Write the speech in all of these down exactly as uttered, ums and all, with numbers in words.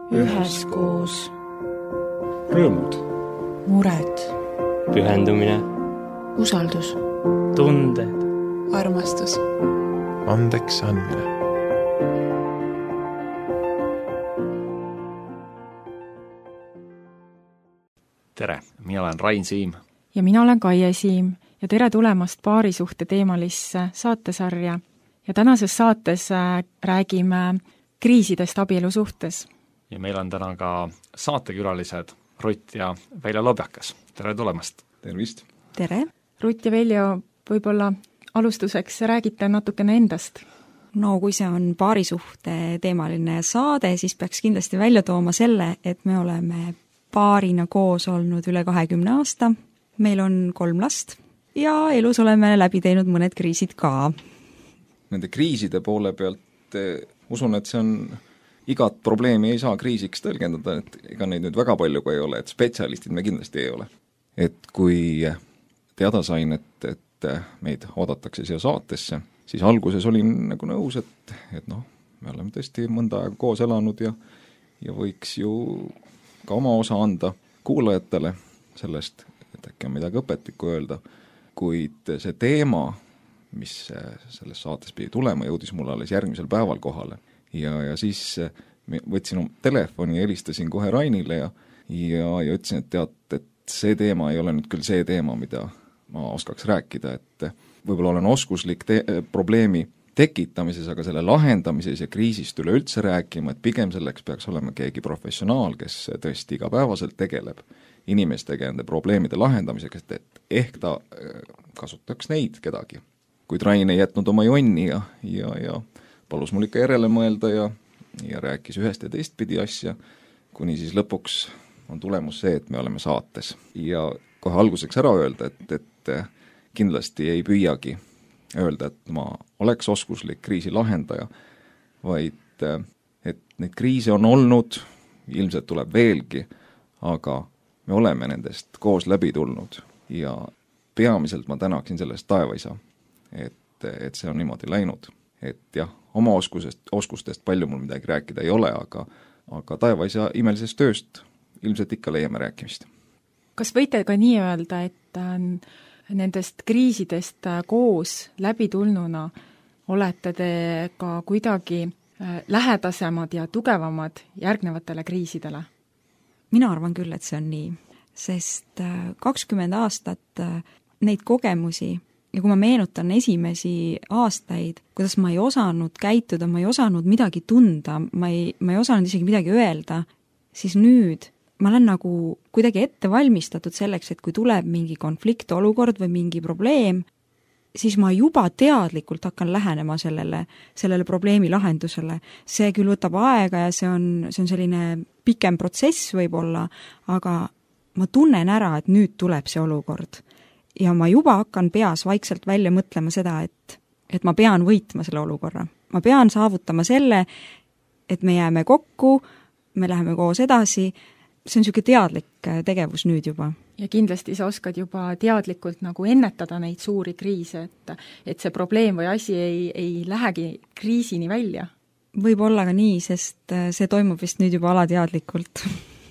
üheskoos. Rõõmud, mured, pühendumine, usaldus, tunded, armastus, andeks andmine. Tere, mina olen Rain Siim. Ja mina olen Kaie Siim ja tere tulemast paarisuhte teemalisse saatesarja. Ja tänases saates räägime kriisidest abielusuhtes. Ja meil on täna ka saatekülalised Rutt ja Veljo Lobjakas. Tere tulemast! Tervist! Tere! Rutt ja Veljo, võib-olla alustuseks räägite natukene endast. No kui see on paarisuhte teemaline saade, siis peaks kindlasti välja tooma selle, et me oleme paarina koos olnud üle kahekümne aasta. Meil on kolm last ja elus oleme läbi teinud mõned kriisid ka. Nende kriiside poole pealt eh, usun, et see on igat probleemi ei saa kriisiks tõlgendada, et ega neid nüüd väga palju ka ei ole, et spetsialistid me kindlasti ei ole. Et kui teada sain, et, et meid oodatakse siia saatesse, siis alguses olin nagu nõus, et, et noh, me oleme tõesti mõnda aega koos elanud ja, ja võiks ju ka oma osa anda kuulajatele sellest, et äkki on midagi õpetlikku öelda, kuid see teema, mis selles saates pidi tulema, jõudis mulle alles järgmisel päeval kohale. Ja, ja siis võtsin telefoni ja helistasin kohe Rainile ja, ja, ja ütlesin, et tead, et see teema ei ole nüüd küll see teema, mida ma oskaks rääkida, et võib-olla olen oskuslik te- probleemi tekitamises, aga selle lahendamises ja kriisist üleüldse rääkima, et pigem selleks peaks olema keegi professionaal, kes tõesti igapäevaselt tegeleb inimestega enda probleemide lahendamisega, et ehk ta kasutaks neid kedagi. Kuid Rain ei jätnud oma jonni ja, ja, ja palus mul ikka järele mõelda ja, ja rääkis ühest ja teist pidi asja, kuni siis lõpuks on tulemus see, et me oleme saates. Ja kohe alguseks ära öelda, et, et kindlasti ei püüagi öelda, et ma oleks oskuslik kriisi lahendaja, vaid et neid kriise on olnud, ilmselt tuleb veelgi, aga me oleme nendest koos läbi tulnud ja peamiselt ma tänaksin sellest taevaisa, et, et see on niimoodi läinud. Et jah, oma oskusest, oskustest palju mul midagi rääkida ei ole, aga, aga taevaisa imelisest tööst ilmselt ikka leiame rääkimist. Kas võite ka nii öelda, et nendest kriisidest koos läbi tulnuna olete te ka kuidagi lähedasemad ja tugevamad järgnevatele kriisidele? Mina arvan küll, et see on nii, sest kakskümmend aastat neid kogemusi ja kui ma meenutan esimesi aastaid, kuidas ma ei osanud käituda, ma ei osanud midagi tunda, ma ei, ma ei osanud isegi midagi öelda, siis nüüd ma olen nagu kuidagi ette valmistatud selleks, et kui tuleb mingi konfliktolukord või mingi probleem, siis ma juba teadlikult hakkan lähenema sellele, sellele probleemi lahendusele. See küll võtab aega ja see on, see on selline pikem protsess võib-olla, aga ma tunnen ära, et nüüd tuleb see olukord. Ja ma juba hakkan peas vaikselt välja mõtlema seda, et, et ma pean võitma selle olukorra. Ma pean saavutama selle, et me jääme kokku, me läheme koos edasi. See on niisugune teadlik tegevus nüüd juba. Ja kindlasti sa oskad juba teadlikult nagu ennetada neid suuri kriise, et, et see probleem või asi ei, ei lähegi kriisini välja. Võib olla ka nii, sest see toimub vist nüüd juba alateadlikult.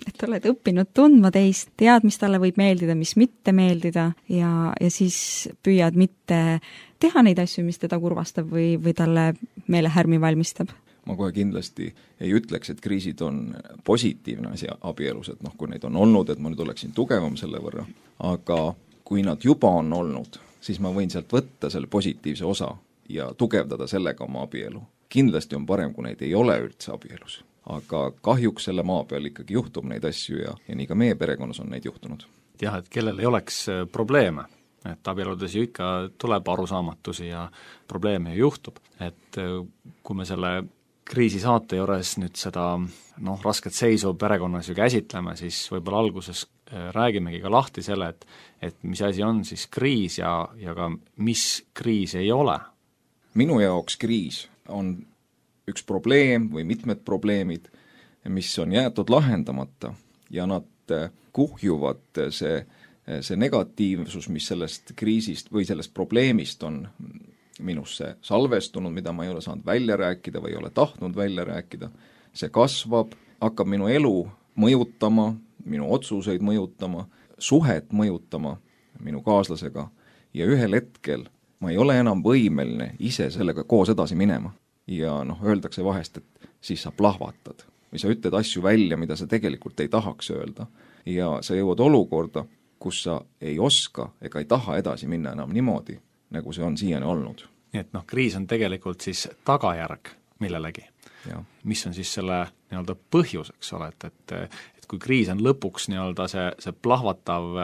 Et oled õppinud tundma teist, tead, mis talle võib meeldida, mis mitte meeldida ja, ja siis püüad mitte teha neid asju, mis teda kurvastab või, või talle meelehärmi valmistab. Ma kohe kindlasti ei ütleks, et kriisid on positiivne asi abielus, et noh, kui neid on olnud, et ma nüüd oleksin tugevam selle võrra, aga kui nad juba on olnud, siis ma võin sealt võtta selle positiivse osa ja tugevdada sellega oma abielu. Kindlasti on parem, kui neid ei ole üldse abielus, aga kahjuks selle maa peal ikkagi juhtub neid asju ja, ja nii ka meie perekonnas on neid juhtunud. Jah, et kellel ei oleks probleeme, et abieludes ju ikka tuleb arusaamatusi ja probleeme ju juhtub, et kui me selle kriisi saate juures nüüd seda noh, rasket seisu perekonnas ju käsitleme, siis võib-olla alguses räägimegi ka lahti selle, et, et mis asi on siis kriis ja, ja ka mis kriis ei ole. Minu jaoks kriis on üks probleem või mitmed probleemid, mis on jäetud lahendamata ja nad kuhjuvad see, see negatiivsus, mis sellest kriisist või sellest probleemist on minusse salvestunud, mida ma ei ole saanud välja rääkida või ei ole tahtnud välja rääkida, see kasvab hakkab minu elu mõjutama, minu otsuseid mõjutama, suhet mõjutama minu kaaslasega ja ühel hetkel ma ei ole enam võimeline ise sellega koos edasi minema. Ja noh, öeldakse vahest, et siis sa plahvatad või sa ütled asju välja, mida sa tegelikult ei tahaks öelda ja sa jõuad olukorda, kus sa ei oska ega ei taha edasi minna enam niimoodi, nagu see on siiani olnud. Nii et noh, kriis on tegelikult siis tagajärg millelegi. Ja. Mis on siis selle nii-öelda põhjus, eks ole, et, et, et kui kriis on lõpuks nii-öelda see, see plahvatav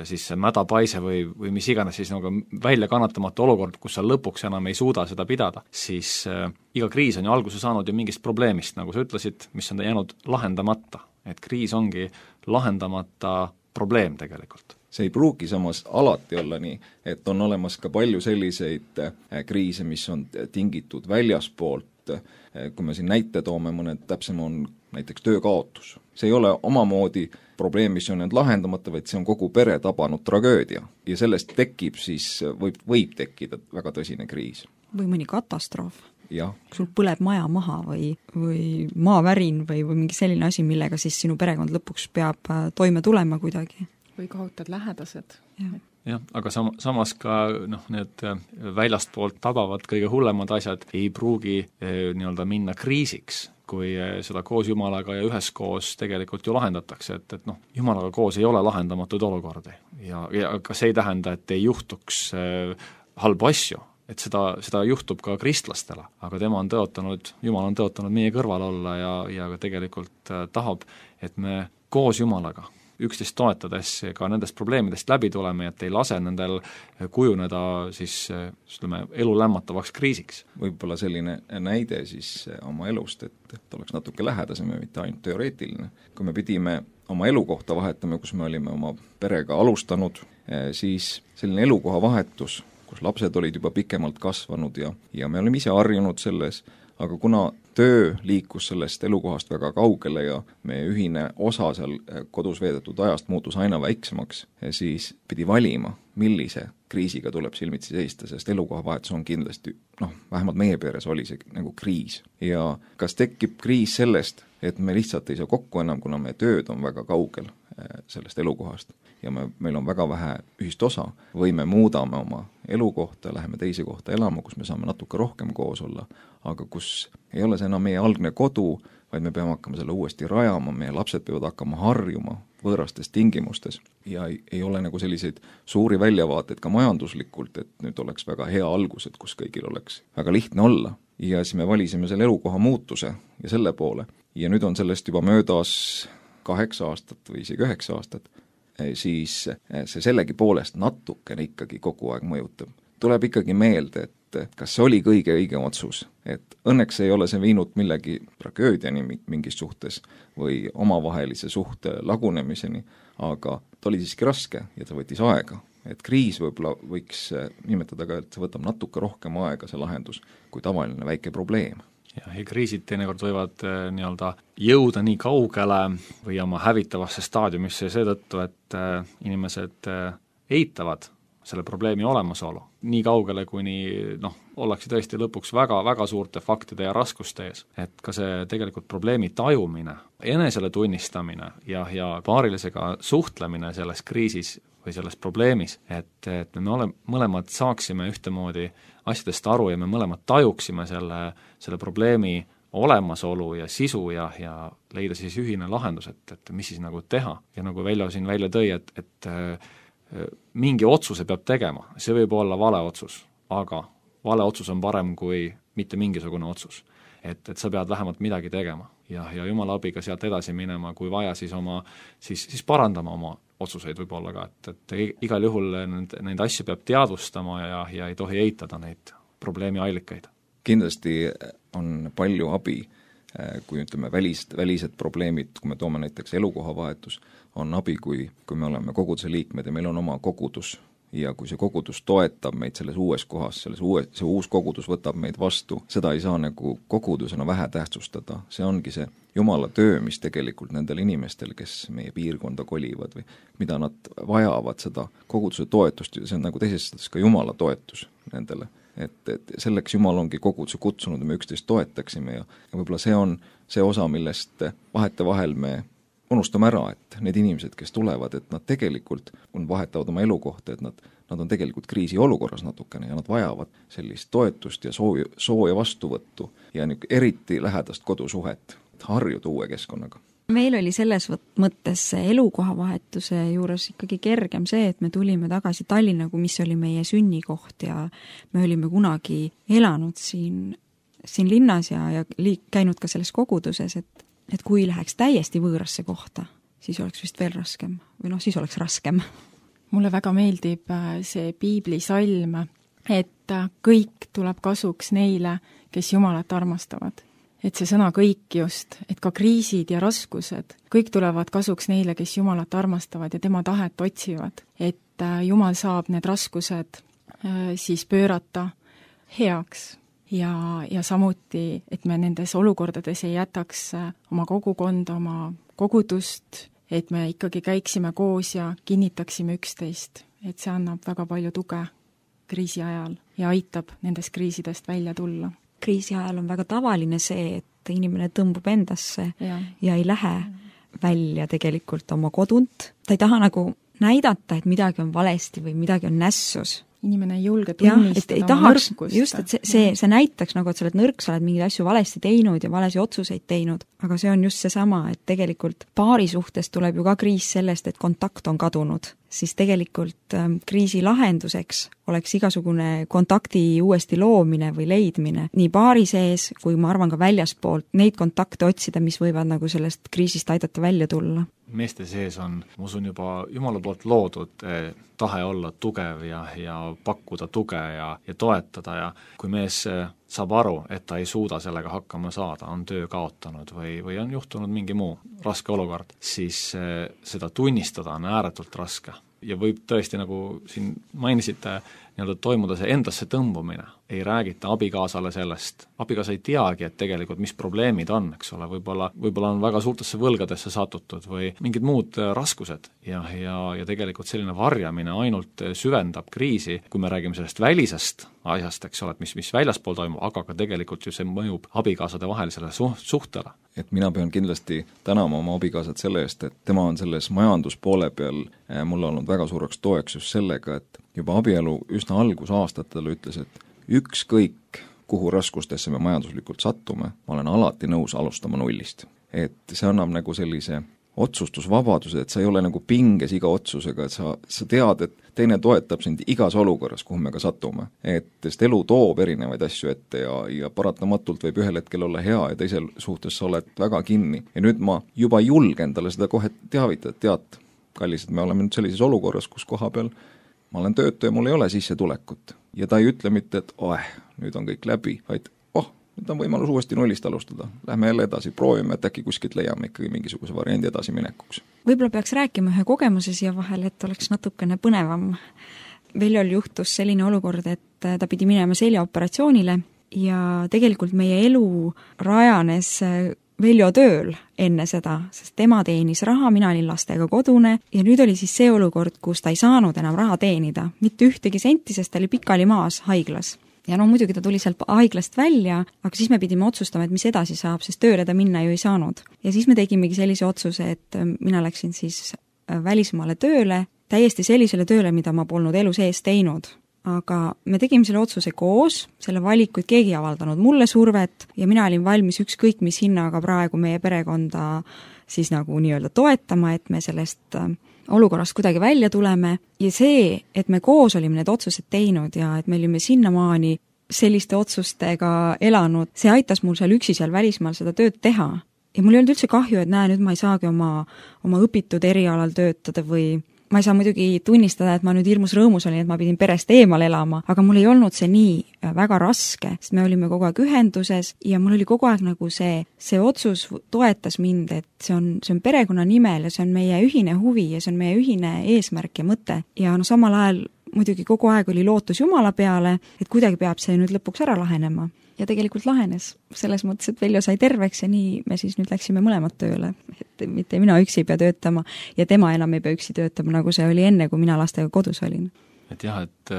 siis see mädapaise või, või mis iganes siis nagu välja kannatamatu olukord, kus sa lõpuks enam ei suuda seda pidada, siis äh, iga kriis on ju alguse saanud ju mingist probleemist, nagu sa ütlesid, mis on jäänud lahendamata. Et kriis ongi lahendamata probleem tegelikult. See ei pruugi samas alati olla nii, et on olemas ka palju selliseid kriise, mis on tingitud väljaspoolt, kui me siin näite toome, mõned täpsem on näiteks töökaotus. See ei ole omamoodi probleem, mis on need lahendamata, vaid see on kogu pere tabanud tragöödia. Ja sellest tekib siis, võib, võib tekkida väga tõsine kriis. Või mõni katastroof. Ja. Sul põleb maja maha või, või maavärin või, või mingi selline asi, millega siis sinu perekond lõpuks peab toime tulema kuidagi. Või kaotad lähedased. Ja. Jah, aga sam- samas ka noh, need väljastpoolt tabavad kõige hullemad asjad ei pruugi eh, nii-öelda minna kriisiks, kui eh, seda koos Jumalaga ja üheskoos tegelikult ju lahendatakse, et, et noh, Jumalaga koos ei ole lahendamatud olukordi ja, ja ka see ei tähenda, et ei juhtuks eh, halbu asju, et seda, seda juhtub ka kristlastele, aga tema on tõotanud, Jumal on tõotanud meie kõrval olla ja, ja tegelikult eh, tahab, et me koos Jumalaga üksteist toetades ka nendest probleemidest läbi tuleme, et ei lase nendel kujuneda siis ütleme, elu lämmatavaks kriisiks. Võib-olla selline näide siis oma elust, et, et oleks natuke lähedasem ja mitte ainult teoreetiline. Kui me pidime oma elukohta vahetama, kus me olime oma perega alustanud, siis selline elukoha vahetus, kus lapsed olid juba pikemalt kasvanud ja, ja me olime ise harjunud selles, aga kuna töö liikus sellest elukohast väga kaugele ja meie ühine osa seal kodus veedetud ajast muutus aina väiksemaks, siis pidi valima, millise kriisiga tuleb silmitsi seista, sest elukoha vahetus on kindlasti, noh, vähemalt meie peres oli see nagu kriis. Ja kas tekib kriis sellest, et me lihtsalt ei saa kokku enam, kuna meie tööd on väga kaugel sellest elukohast ja me, meil on väga vähe ühist osa, või me muudame oma elukohta, läheme teise kohta elama, kus me saame natuke rohkem koos olla, aga kus ei ole see enam meie algne kodu, vaid me peame hakkama selle uuesti rajama, meie lapsed peavad hakkama harjuma võõrastes tingimustes ja ei, ei ole nagu selliseid suuri väljavaateid ka majanduslikult, et nüüd oleks väga hea algus, et kus kõigil oleks väga lihtne olla. Ja siis me valisime selle elukoha muutuse ja selle poole. Ja nüüd on sellest juba möödas kaheksa aastat või isegi üheksa aastat, siis see sellegi poolest natukene ikkagi kogu aeg mõjutab. Tuleb ikkagi meelde, et kas see oli kõige õigem otsus, et õnneks ei ole see viinud millegi tragöödiani mingis suhtes või omavahelise suhte lagunemiseni, aga ta oli siiski raske ja ta võttis aega. Et kriis võib-olla võiks nimetada ka, et see võtab natuke rohkem aega see lahendus kui tavaline väike probleem. Ja, ja kriisid teinekord võivad eh, nii-öelda jõuda nii kaugele või oma hävitavasse staadiumisse seetõttu, et eh, inimesed eh, eitavad selle probleemi olemasolu. Nii kaugele, kuni noh, ollakse tõesti lõpuks väga, väga suurte faktide ja raskuste ees. Et ka see tegelikult probleemi tajumine, enesele tunnistamine ja, ja paarilisega suhtlemine selles kriisis või selles probleemis, et, et me ole, mõlemad saaksime ühtemoodi asjadest aru ja me mõlemad tajuksime selle, selle probleemi olemasolu ja sisu ja, ja leida siis ühine lahendus, et, et mis siis nagu teha. Ja nagu Veljo siin välja tõi, et, et mingi otsuse peab tegema, see võib olla vale otsus, aga vale otsus on parem kui mitte mingisugune otsus. Et, et sa pead vähemalt midagi tegema ja, ja Jumala abiga sealt edasi minema, kui vaja, siis oma, siis, siis parandama oma otsuseid võib-olla ka, et, et igal juhul neid, neid asju peab teadvustama ja, ja ei tohi eitada neid probleemi allikaid. Kindlasti on palju abi, kui ütleme välised, välised probleemid, kui me toome näiteks elukohavahetus, on abi, kui, kui me oleme koguduse liikmed ja meil on oma kogudus ja kui see kogudus toetab meid selles uues kohas, selles uue, see uus kogudus võtab meid vastu, seda ei saa nagu kogudusena vähe tähtsustada. See ongi see Jumala töö, mis tegelikult nendel inimestel, kes meie piirkonda kolivad või mida nad vajavad, seda koguduse toetust, see on nagu teises ka Jumala toetus nendele. et, et selleks Jumal ongi koguduse kutsunud ja me üksteist toetaksime ja, ja võib-olla see on see osa, millest vahetevahel me unustame ära, et need inimesed, kes tulevad, et nad tegelikult, kui nad vahetavad oma elukohta, et nad, nad on tegelikult kriisiolukorras natukene ja nad vajavad sellist toetust ja sooja, sooja vastuvõttu ja nüüd eriti lähedast kodusuhet, et harjuda uue keskkonnaga. Meil oli selles mõttes elukohavahetuse juures ikkagi kergem see, et me tulime tagasi Tallinna, mis oli meie sünnikoht ja me olime kunagi elanud siin, siin linnas ja, ja liik, käinud ka selles koguduses, et et kui läheks täiesti võõrasse kohta, siis oleks vist veel raskem või noh, siis oleks raskem. Mulle väga meeldib see piiblisalm, et kõik tuleb kasuks neile, kes Jumalat armastavad. Et see sõna kõik just, et ka kriisid ja raskused, kõik tulevad kasuks neile, kes Jumalat armastavad ja tema tahet otsivad. Et Jumal saab need raskused siis pöörata heaks. Ja, ja samuti, et me nendes olukordades ei jätaks oma kogukonda, oma kogudust, et me ikkagi käiksime koos ja kinnitaksime üksteist, et see annab väga palju tuge kriisi ajal ja aitab nendest kriisidest välja tulla. Kriisi ajal on väga tavaline see, et inimene tõmbub endasse ja, ja ei lähe välja tegelikult oma kodunt. Ta ei taha nagu näidata, et midagi on valesti või midagi on nässus. Inimene ei julge tunnistada ja, oma nõrkust. Just, et see, see, see näitaks nagu, et sa oled nõrk, sa oled mingeid asju valesti teinud ja valesi otsuseid teinud, aga see on just seesama, et tegelikult paari suhtes tuleb ju ka kriis sellest, et kontakt on kadunud, siis tegelikult ähm, kriisi lahenduseks oleks igasugune kontakti uuesti loomine või leidmine, nii paari sees, kui ma arvan ka väljaspoolt, neid kontakte otsida, mis võivad nagu sellest kriisist aidata välja tulla. Meeste sees on, ma usun, juba Jumala poolt loodud eh, tahe olla tugev ja, ja pakkuda tuge ja, ja toetada ja kui mees eh, saab aru, et ta ei suuda sellega hakkama saada, on töö kaotanud või, või on juhtunud mingi muu raske olukord, siis eh, seda tunnistada on ääretult raske. Ja võib tõesti, nagu siin mainisite, nii-öelda toimuda see endasse tõmbumine, ei räägita abikaasale sellest, abikaasa ei teagi, et tegelikult mis probleemid on, eks ole, võib-olla, võib-olla on väga suurtesse võlgadesse satutud või mingid muud raskused ja, ja, ja tegelikult selline varjamine ainult süvendab kriisi, kui me räägime sellest välisest asjast, eks ole, et mis, mis väljaspool toimub, aga ka tegelikult ju see mõjub abikaasade vahelisele suht- suhtele. Et mina pean kindlasti tänama oma abikaasat selle eest, et tema on selles majanduspoole peal mulle olnud väga suureks toeks just sellega, et juba abielu üsna algusaastatel ütles, et ükskõik, kuhu raskustesse me majanduslikult sattume, ma olen alati nõus alustama nullist. Et see annab nagu sellise otsustusvabaduse, et sa ei ole nagu pinges iga otsusega, et sa, sa tead, et teine toetab sind igas olukorras, kuhu me ka satume. Et sest elu toob erinevaid asju ette ja, ja paratamatult võib ühel hetkel olla hea ja teisel suhtes sa oled väga kinni. Ja nüüd ma juba julgen talle seda kohe teavitada, et tead, kallis, et me oleme nüüd sellises olukorras, kus koha peal ma olen töötu ja mul ei ole sissetulekut. Ja ta ei ütle mitte, et oeh, nüüd on kõik läbi, vaid oh, nüüd on võimalus uuesti nullist alustada. Lähme jälle edasi, proovime, et äkki kuskilt leiame ikkagi mingisuguse variandi edasi minekuks. Võib-olla peaks rääkima ühe kogemuse siia vahel, et oleks natukene põnevam. Veljol juhtus selline olukord, et ta pidi minema seljaoperatsioonile ja tegelikult meie elu rajanes Veljo tööl enne seda, sest tema teenis raha, mina olin lastega kodune ja nüüd oli siis see olukord, kus ta ei saanud enam raha teenida, mitte ühtegi senti, sest ta oli pikali maas haiglas. Ja no muidugi ta tuli sealt haiglast välja, aga siis me pidime otsustama, et mis edasi saab, sest tööle ta minna ju ei saanud. Ja siis me tegimegi sellise otsuse, et mina läksin siis välismaale tööle, täiesti sellisele tööle, mida ma polnud elu sees teinud. Aga me tegime selle otsuse koos, selle valikuid keegi ei avaldanud mulle survet ja mina olin valmis ükskõik mis hinnaga praegu meie perekonda siis nagu nii-öelda toetama, et me sellest olukorrast kuidagi välja tuleme ja see, et me koos olime need otsused teinud ja et me olime sinnamaani selliste otsustega elanud, see aitas mul seal üksi seal välismaal seda tööd teha. Ja mul ei olnud üldse kahju, et näe, nüüd ma ei saagi oma, oma õpitud erialal töötada või ma ei saa muidugi tunnistada, et ma nüüd hirmus rõõmus olin, et ma pidin perest eemal elama, aga mul ei olnud see nii väga raske, sest me olime kogu aeg ühenduses ja mul oli kogu aeg nagu see, see otsus toetas mind, et see on, see on perekonna nimel ja see on meie ühine huvi ja see on meie ühine eesmärk ja mõte. Ja no samal ajal muidugi kogu aeg oli lootus Jumala peale, et kuidagi peab see nüüd lõpuks ära lahenema. Ja tegelikult lahenes selles mõttes, et Veljo sai terveks ja nii me siis nüüd läksime mõlemad tööle. Et mitte mina üksi ei pea töötama ja tema enam ei pea üksi töötama, nagu see oli enne, kui mina lastega kodus olin. et jah, et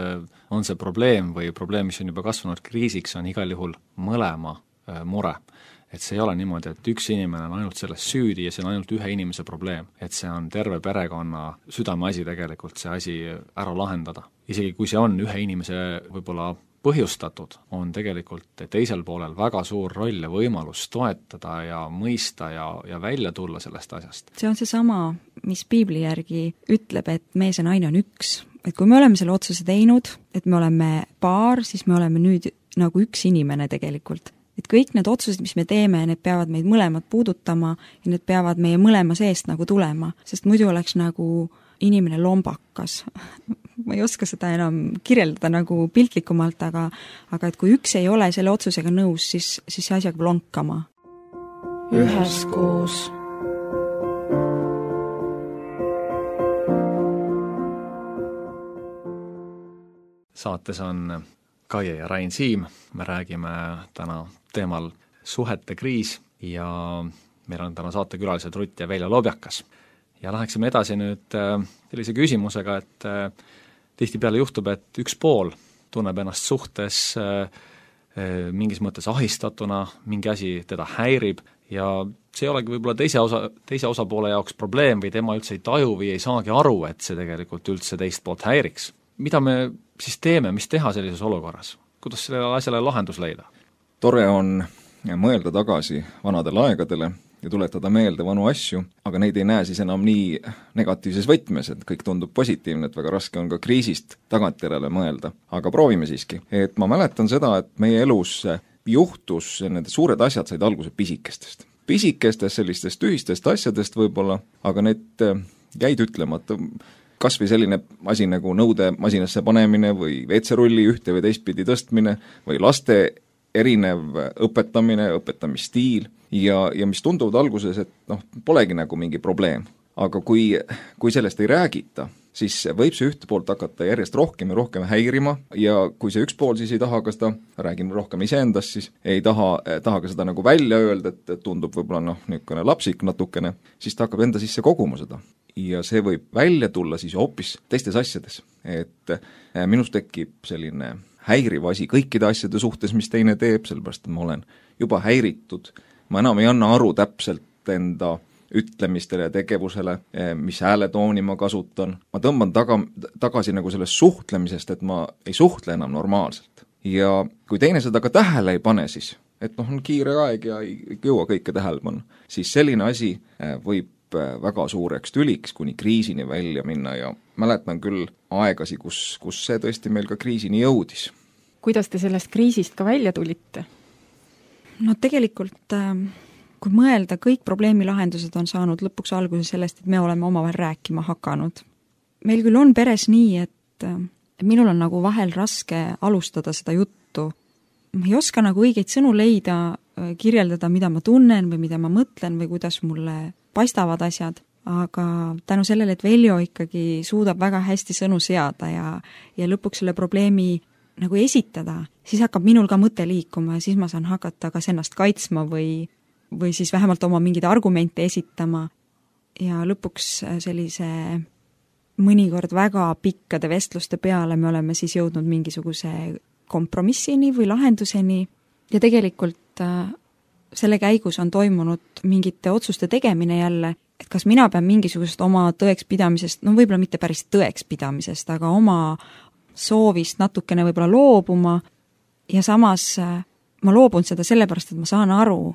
on see probleem või probleem, mis on juba kasvanud kriisiks, on igal juhul mõlema mure. Et see ei ole niimoodi, et üks inimene on ainult selles süüdi ja see on ainult ühe inimese probleem. Et see on terve perekonna südameasi tegelikult see asi ära lahendada. Isegi kui see on ühe inimese võib-olla põhjustatud, on tegelikult teisel poolel väga suur roll ja võimalus toetada ja mõista ja, ja välja tulla sellest asjast. See on see sama, mis piibli järgi ütleb, et mees ja naine on üks. Et kui me oleme selle otsuse teinud, et me oleme paar, siis me oleme nüüd nagu üks inimene tegelikult. Et kõik need otsused, mis me teeme, need peavad meid mõlemad puudutama ja need peavad meie mõlema seest nagu tulema, sest muidu oleks nagu inimene lombakas. Ma ei oska seda enam kirjeldada nagu piltlikumalt, aga, aga et kui üks ei ole selle otsusega nõus, siis, siis see asi hakkab lonkama. Üheskoos. Saates on Kaie ja Rain Siim, me räägime täna teemal suhete kriis ja meil on täna saatekülalised Rutt ja Veljo Lobjakas. Ja läheksime edasi nüüd sellise küsimusega, et tihtipeale juhtub, et üks pool tunneb ennast suhtes mingis mõttes ahistatuna, mingi asi teda häirib ja see ei olegi võib-olla teise, osa, teise osapoole jaoks probleem või tema üldse ei taju või ei saagi aru, et see tegelikult üldse teist poolt häiriks. Mida me siis teeme, mis teha sellises olukorras? Kuidas sellele asjale lahendus leida? Tore on mõelda tagasi vanadele aegadele ja tuletada meelde vanu asju, aga neid ei näe siis enam nii negatiivses võtmes, et kõik tundub positiivne, et väga raske on ka kriisist tagantjärele mõelda. Aga proovime siiski. Et ma mäletan seda, et meie elus juhtus, need suured asjad said alguse pisikestest. Pisikestest sellistest tühistest asjadest võib-olla, aga need jäid ütlemata. Kas või selline asi nagu nõude masinasse panemine või veetserulli ühte või teistpidi tõstmine või laste erinev õpetamine, õpetamisstiil ja, ja mis tunduvad alguses, et noh, polegi nagu mingi probleem. Aga kui, kui sellest ei räägita, siis võib see ühte poolt hakata järjest rohkem ja rohkem häirima ja kui see üks pool siis ei taha ka seda, räägin rohkem iseendast, siis ei taha, taha ka seda nagu välja öelda, et tundub võib-olla noh, niisugune lapsik natukene, siis ta hakkab enda sisse koguma seda. Ja see võib välja tulla siis hoopis teistes asjades. Et minus tekib selline häiriv asi kõikide asjade suhtes, mis teine teeb, sellepärast et ma olen juba häiritud. Ma enam ei anna aru täpselt enda ütlemistele ja tegevusele, mis hääletooni ma kasutan. Ma tõmban taga, tagasi nagu sellest suhtlemisest, et ma ei suhtle enam normaalselt. Ja kui teine seda ka tähele ei pane siis, et noh, on kiire aeg ja ei jõua kõike tähele panna, siis selline asi võib väga suureks tüliks kuni kriisini välja minna ja mäletan küll aegasi, kus, kus see tõesti meil ka kriisini jõudis. Kuidas te sellest kriisist ka välja tulite? No tegelikult, kui mõelda, kõik probleemi lahendused on saanud lõpuks alguse sellest, et me oleme omavahel rääkima hakanud. Meil küll on peres nii, et minul on nagu vahel raske alustada seda juttu. Ma ei oska nagu õigeid sõnu leida, kirjeldada, mida ma tunnen või mida ma mõtlen või kuidas mulle paistavad asjad, aga tänu sellele, et Veljo ikkagi suudab väga hästi sõnu seada ja, ja lõpuks selle probleemi nagu esitada, siis hakkab minul ka mõte liikuma ja siis ma saan hakata kas ennast kaitsma või, või siis vähemalt oma mingeid argumente esitama ja lõpuks sellise mõnikord väga pikkade vestluste peale me oleme siis jõudnud mingisuguse kompromissini või lahenduseni ja tegelikult selle käigus on toimunud mingite otsuste tegemine jälle, et kas mina pean mingisugusest oma tõekspidamisest, no võib-olla mitte päris tõekspidamisest, aga oma soovist natukene võib-olla loobuma ja samas ma loobun seda sellepärast, et ma saan aru,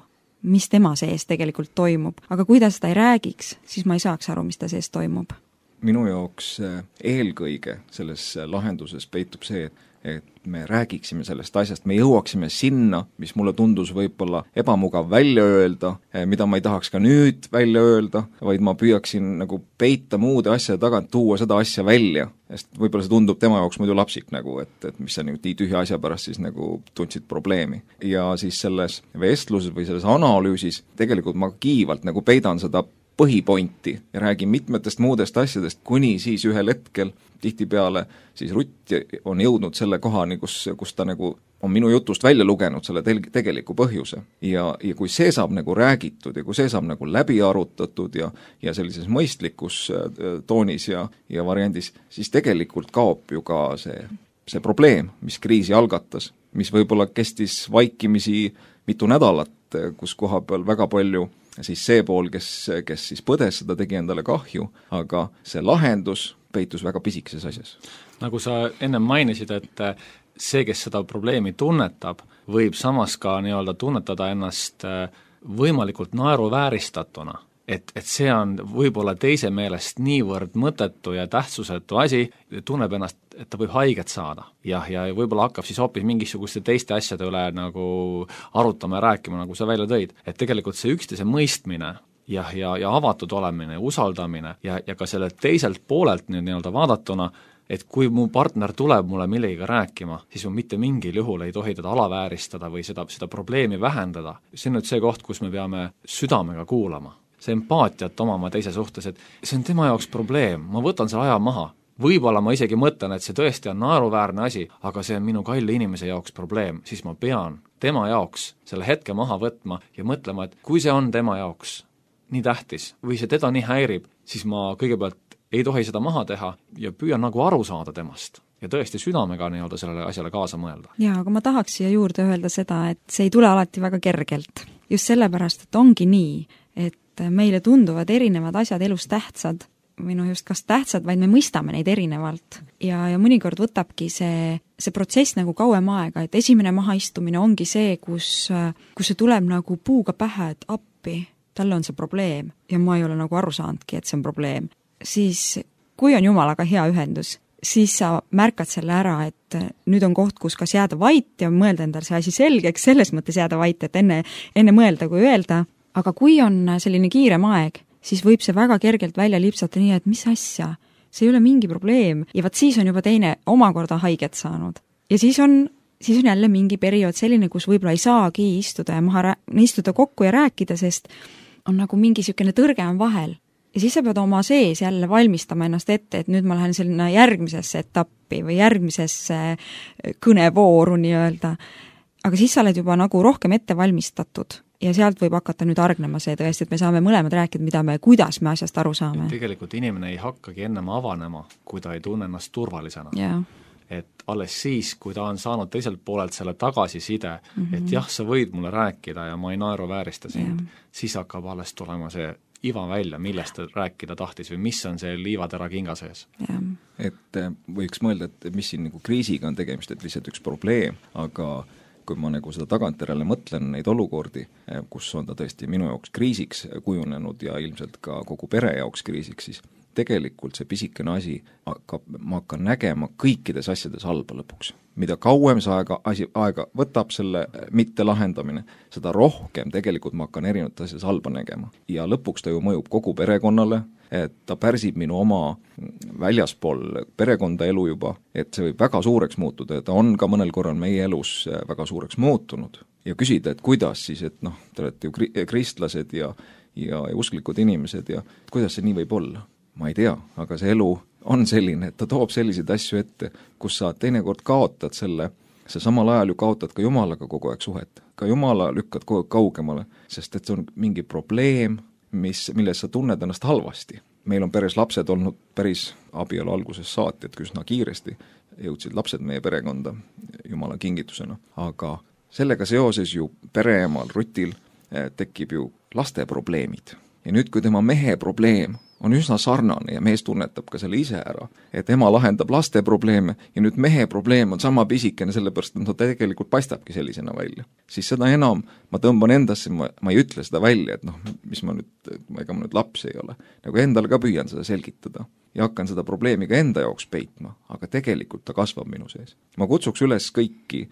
mis tema sees tegelikult toimub. Aga kui ta seda ei räägiks, siis ma ei saaks aru, mis ta sees toimub. Minu jaoks eelkõige selles lahenduses peitub see, et me räägiksime sellest asjast, me jõuaksime sinna, mis mulle tundus võib-olla ebamugav välja öelda, mida ma ei tahaks ka nüüd välja öelda, vaid ma püüaksin nagu peita muude asjade tagant, tuua seda asja välja, sest võib-olla see tundub tema jaoks muidu lapsik nagu, et, et mis sa nagu nii tühja asja pärast siis nagu tundsid probleemi. Ja siis selles vestluses või selles analüüsis tegelikult ma kiivalt nagu peidan seda põhipointi ja räägin mitmetest muudest asjadest, kuni siis ühel hetkel tihtipeale siis Rutt on jõudnud selle kohani, kus, kus ta nagu on minu jutust välja lugenud selle tel- tegeliku põhjuse. Ja, ja kui see saab nagu räägitud ja kui see saab nagu läbi arutatud ja, ja sellises mõistlikus toonis ja, ja variandis, siis tegelikult kaob ju ka see, see probleem, mis kriisi algatas, mis võib-olla kestis vaikimisi mitu nädalat, kus koha peal väga palju siis see pool, kes, kes siis põdes seda, tegi endale kahju, aga see lahendus peitus väga pisikeses asjas. Nagu sa enne mainisid, et see, kes seda probleemi tunnetab, võib samas ka nii-öelda tunnetada ennast võimalikult naeruvääristatuna. Et, et see on võib-olla teise meelest niivõrd mõttetu ja tähtsusetu asi, tunneb ennast, et ta võib haiget saada. Jah, ja võib-olla hakkab siis hoopis mingisuguste teiste asjade üle nagu arutama ja rääkima, nagu sa välja tõid. Et tegelikult see üksteise mõistmine ja, ja, ja avatud olemine, usaldamine ja, ja ka selle teiselt poolelt nüüd nii-öelda vaadatuna, et kui mu partner tuleb mulle millegagi rääkima, siis ma mitte mingil juhul ei tohi teda alavääristada või seda, seda probleemi vähendada. See on nüüd see koht, kus me peame südamega kuulama. See empaatiat omama teise suhtes, et see on tema jaoks probleem, ma võtan selle aja maha. Võib-olla ma isegi mõtlen, et see tõesti on naeruväärne asi, aga see on minu kalli inimese jaoks probleem, siis ma pean tema jaoks selle hetke maha võtma ja mõtlema, et kui see on tema jaoks nii tähtis või see teda nii häirib, siis ma kõigepealt ei tohi seda maha teha ja püüan nagu aru saada temast ja tõesti südamega nii-öelda sellele asjale kaasa mõelda. Jaa, aga ma tahaks siia juurde öelda seda, et see ei tule alati väga kergelt. Just sellepärast, et ongi nii, et meile tunduvad erinevad asjad elus tähtsad, või noh just kas tähtsad, vaid me mõistame neid erinevalt. Ja, ja mõnikord võtabki see, see protsess nagu kauem aega, et esimene mahaistumine ongi see, kus, kus see tuleb nagu puuga pähe, et appi, talle on see probleem ja ma ei ole nagu aru saanudki, et see on probleem. Siis kui on jumalaga hea ühendus, siis sa märkad selle ära, et nüüd on koht, kus kas jääda vait ja mõelda endale see asi selgeks, selles mõttes jääda vait, et enne, enne mõelda kui öelda. Aga kui on selline kiirem aeg, siis võib see väga kergelt välja lipsata nii, et mis asja, see ei ole mingi probleem ja vaat siis on juba teine omakorda haiget saanud. Ja siis on, siis on jälle mingi periood selline, kus võib-olla ei saagi istuda ja maha istuda kokku ja rääkida, sest on nagu mingi sükene tõrge on vahel. Ja siis sa pead oma sees jälle valmistama ennast ette, et nüüd ma lähen selline järgmisesse etappi või järgmisesse kõnevooru nii-öelda. Aga siis sa oled juba nagu rohkem ette valmistatud. Ja sealt võib hakata nüüd argnema see tõesti, et me saame mõlemad rääkida, mida me, kuidas me asjast aru saame. Tegelikult inimene ei hakkagi ennem avanema, kui ta ei tunne ennast turvalisena. Yeah. Et alles siis, kui ta on saanud teiselt poolelt selle tagasiside, mm -hmm. et jah, sa võid mulle rääkida ja ma ei naeru väärista sind, yeah. siis hakkab alles tulema see iva välja, millest ta rääkida tahtis või mis on see liivatera kinga sees. Yeah. Et võiks mõelda, et mis siin nagu kriisiga on tegemist, et lihtsalt üks probleem, aga kui ma nagu seda tagantjärele mõtlen neid olukordi, kus on ta tõesti minu jaoks kriisiks kujunenud ja ilmselt ka kogu pere jaoks kriisiks, siis tegelikult see pisikene asi hakkab, ma hakkan nägema kõikides asjades halba lõpuks. Mida kauem see aega, asi, aega võtab selle mitte lahendamine, seda rohkem tegelikult ma hakkan erinevates asjades halba nägema. Ja lõpuks ta ju mõjub kogu perekonnale, et ta pärsib minu oma väljaspool perekonda elu juba, et see võib väga suureks muutuda ja ta on ka mõnel korral meie elus väga suureks muutunud. Ja küsida, et kuidas siis, et noh, te olete ju kristlased ja, ja, ja usklikud inimesed ja kuidas see nii võib olla? Ma ei tea, aga see elu on selline, et ta toob selliseid asju ette, kus sa teinekord kaotad selle, sa samal ajal ju kaotad ka Jumalaga kogu aeg suhet. Ka Jumala lükkad kogu aeg kaugemale, sest et see on mingi probleem, mis, milles sa tunned ennast halvasti. Meil on peres lapsed olnud päris abielu alguses saati, et üsna kiiresti jõudsid lapsed meie perekonda Jumala kingitusena. Aga sellega seoses ju pereemal Rutil tekib ju laste probleemid. Ja nüüd, kui tema mehe probleem on üsna sarnane ja mees tunnetab ka selle ise ära, et ema lahendab laste probleeme ja nüüd mehe probleem on sama pisikene, sellepärast et ta tegelikult paistabki sellisena välja. Siis seda enam ma tõmban endasse, ma, ma ei ütle seda välja, et noh, mis ma nüüd, ega ma nüüd laps ei ole. Nagu endale ka püüan seda selgitada. ja hakkan seda probleemi ka enda jaoks peitma, aga tegelikult ta kasvab minu sees. Ma kutsuks üles kõiki,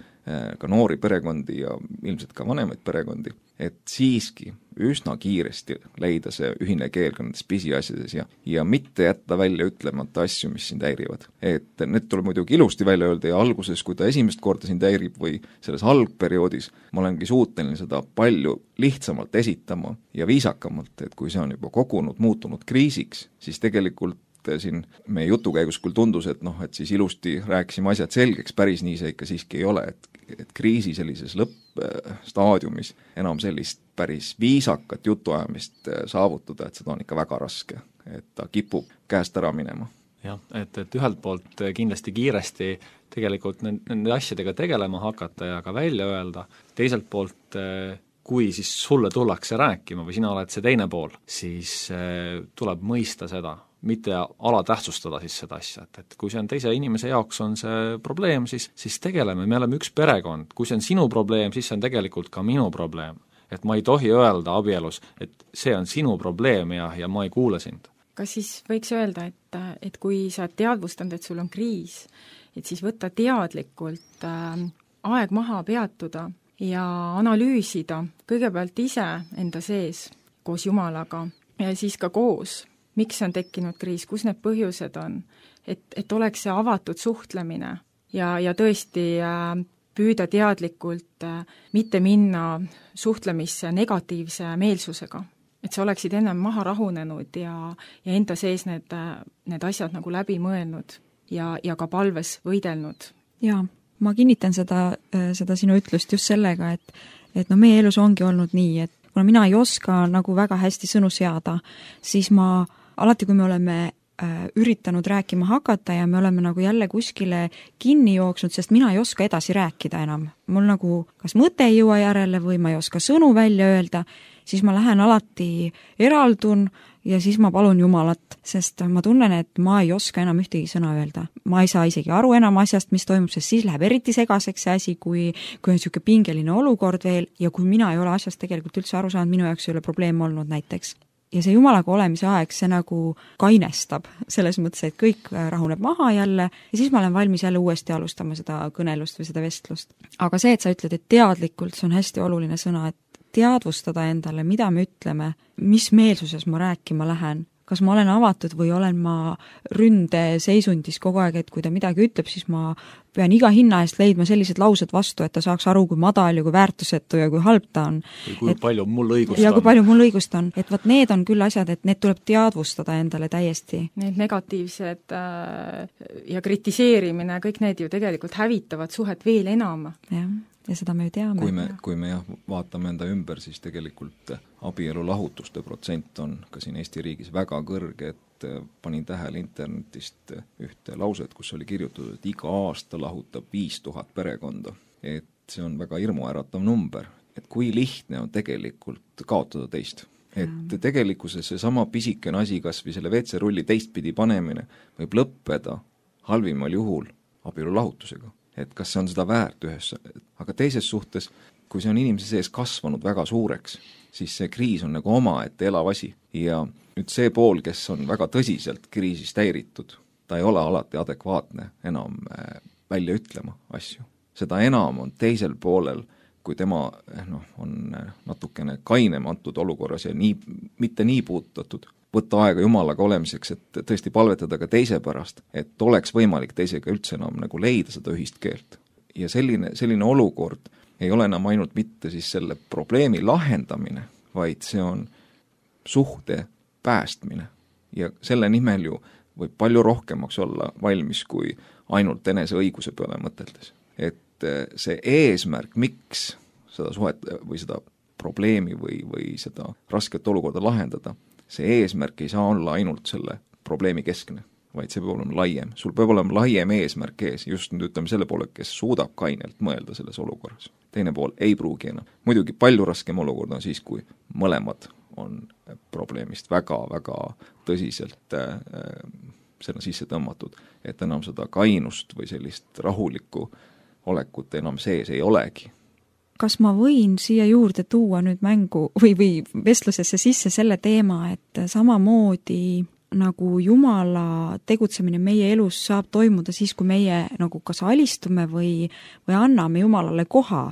ka noori perekondi ja ilmselt ka vanemaid perekondi, et siiski üsna kiiresti leida see ühine keel ka nendes pisiasjades ja, ja mitte jätta välja ütlemata asju, mis sind häirivad. Et need tuleb muidugi ilusti välja öelda ja alguses, kui ta esimest korda sind häirib või selles algperioodis, ma olengi suuteline seda palju lihtsamalt esitama ja viisakamalt, et kui see on juba kogunud, muutunud kriisiks, siis tegelikult siin meie jutu käigus küll tundus, et noh, et siis ilusti rääkisime asjad selgeks, päris nii see ikka siiski ei ole, et, et kriisi sellises lõppstaadiumis enam sellist päris viisakat jutuajamist saavutada, et seda on ikka väga raske, et ta kipub käest ära minema. Jah, et, et ühelt poolt kindlasti kiiresti tegelikult nende asjadega tegelema hakata ja ka välja öelda, teiselt poolt kui siis sulle tullakse rääkima või sina oled see teine pool, siis tuleb mõista seda, mitte alatähtsustada siis seda asja, et, et kui see on teise inimese jaoks on see probleem, siis, siis tegeleme, me oleme üks perekond, kui see on sinu probleem, siis see on tegelikult ka minu probleem. Et ma ei tohi öelda abielus, et see on sinu probleem ja, ja ma ei kuule sind. Kas siis võiks öelda, et, et kui sa teadvustanud, et sul on kriis, et siis võtta teadlikult äh, aeg maha peatuda ja analüüsida kõigepealt ise enda sees koos Jumalaga ja siis ka koos, miks on tekkinud kriis, kus need põhjused on, et, et oleks see avatud suhtlemine ja, ja tõesti äh, püüda teadlikult äh, mitte minna suhtlemisse negatiivse meelsusega. Et sa oleksid ennem maha rahunenud ja, ja enda sees need, need asjad nagu läbi mõelnud ja, ja ka palves võidelnud. Jaa, ma kinnitan seda, seda sinu ütlust just sellega, et, et no meie elus ongi olnud nii, et kuna mina ei oska nagu väga hästi sõnu seada, siis ma alati, kui me oleme äh, üritanud rääkima hakata ja me oleme nagu jälle kuskile kinni jooksnud, sest mina ei oska edasi rääkida enam. Mul nagu kas mõte ei jõua järele või ma ei oska sõnu välja öelda, siis ma lähen alati eraldun ja siis ma palun Jumalat, sest ma tunnen, et ma ei oska enam ühtegi sõna öelda. Ma ei saa isegi aru enam asjast, mis toimub, sest siis läheb eriti segaseks see asi, kui, kui on niisugune pingeline olukord veel ja kui mina ei ole asjast tegelikult üldse aru saanud, minu jaoks ei ole probleem olnud näiteks. Ja see Jumalaga olemise aeg, see nagu kainestab selles mõttes, et kõik rahuneb maha jälle ja siis ma olen valmis jälle uuesti alustama seda kõnelust või seda vestlust. Aga see, et sa ütled, et teadlikult, see on hästi oluline sõna, et teadvustada endale, mida me ütleme, mis meelsuses ma rääkima lähen, kas ma olen avatud või olen ma ründe seisundis kogu aeg, et kui ta midagi ütleb, siis ma pean iga hinna eest leidma sellised laused vastu, et ta saaks aru, kui madal ja kui väärtusetu ja kui halb ta on. Või kui et, palju mul õigust ja on. Ja kui palju mul õigust on. Et võt need on küll asjad, et need tuleb teadvustada endale täiesti. Need negatiivsed äh, ja kritiseerimine, kõik need ju tegelikult hävitavad suhet veel enam. Jah. Ja seda me ju teame. Kui me, kui me jah, vaatame enda ümber, siis tegelikult abielu lahutuste protsent on ka siin Eesti riigis väga kõrge, et panin tähele internetist ühte lauset, kus oli kirjutatud, et iga aasta lahutab viis tuhat perekonda. Et see on väga hirmuäratav number, et kui lihtne on tegelikult kaotada teist. Et tegelikkuses see sama pisikene asi, kas või selle V C rulli teistpidi panemine võib lõppeda halvimal juhul abielu lahutusega. Et kas see on seda väärt ühes, aga teises suhtes, kui see on inimese sees kasvanud väga suureks, siis see kriis on nagu omaette elav asi ja nüüd see pool, kes on väga tõsiselt kriisist häiritud, ta ei ole alati adekvaatne enam välja ütlema asju. Seda enam on teisel poolel, kui tema noh, on natukene kainem antud olukorras ja nii, mitte nii puutatud, võtta aega Jumalaga olemiseks, et tõesti palvetada ka teise pärast, et oleks võimalik teisega üldse enam nagu leida seda ühist keelt. Ja selline, selline olukord ei ole enam ainult mitte siis selle probleemi lahendamine, vaid see on suhte päästmine. Ja selle nimel ju võib palju rohkemaks olla valmis kui ainult enese õiguse peale mõteldes. Et see eesmärk, miks seda suhet või seda probleemi või, või seda rasket olukorda lahendada, see eesmärk ei saa olla ainult selle probleemi keskne, vaid see peab olema laiem. Sul peab olema laiem eesmärk ees, just nüüd ütleme selle poole, kes suudab kainelt mõelda selles olukorras. Teine pool ei pruugi enam. Muidugi palju raskem olukord on siis, kui mõlemad on probleemist väga-väga tõsiselt äh, selle sisse tõmmatud, et enam seda kainust või sellist rahulikku olekut enam sees ei olegi. Kas ma võin siia juurde tuua nüüd mängu või, või vestlusesse sisse selle teema, et samamoodi nagu Jumala tegutsemine meie elus saab toimuda siis, kui meie nagu kas alistume või, või anname Jumalale koha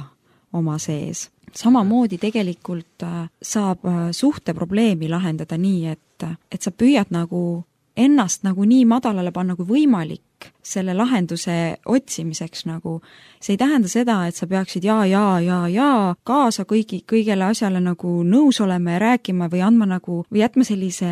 oma sees. Samamoodi tegelikult saab suhteprobleemi lahendada nii, et, et sa püüad nagu ennast nagu nii madalale panna kui võimalik selle lahenduse otsimiseks nagu. See ei tähenda seda, et sa peaksid jaa, jaa, jaa, jaa kaasa kõigi, kõigele asjale nagu nõus olema ja rääkima või andma nagu, või jätma sellise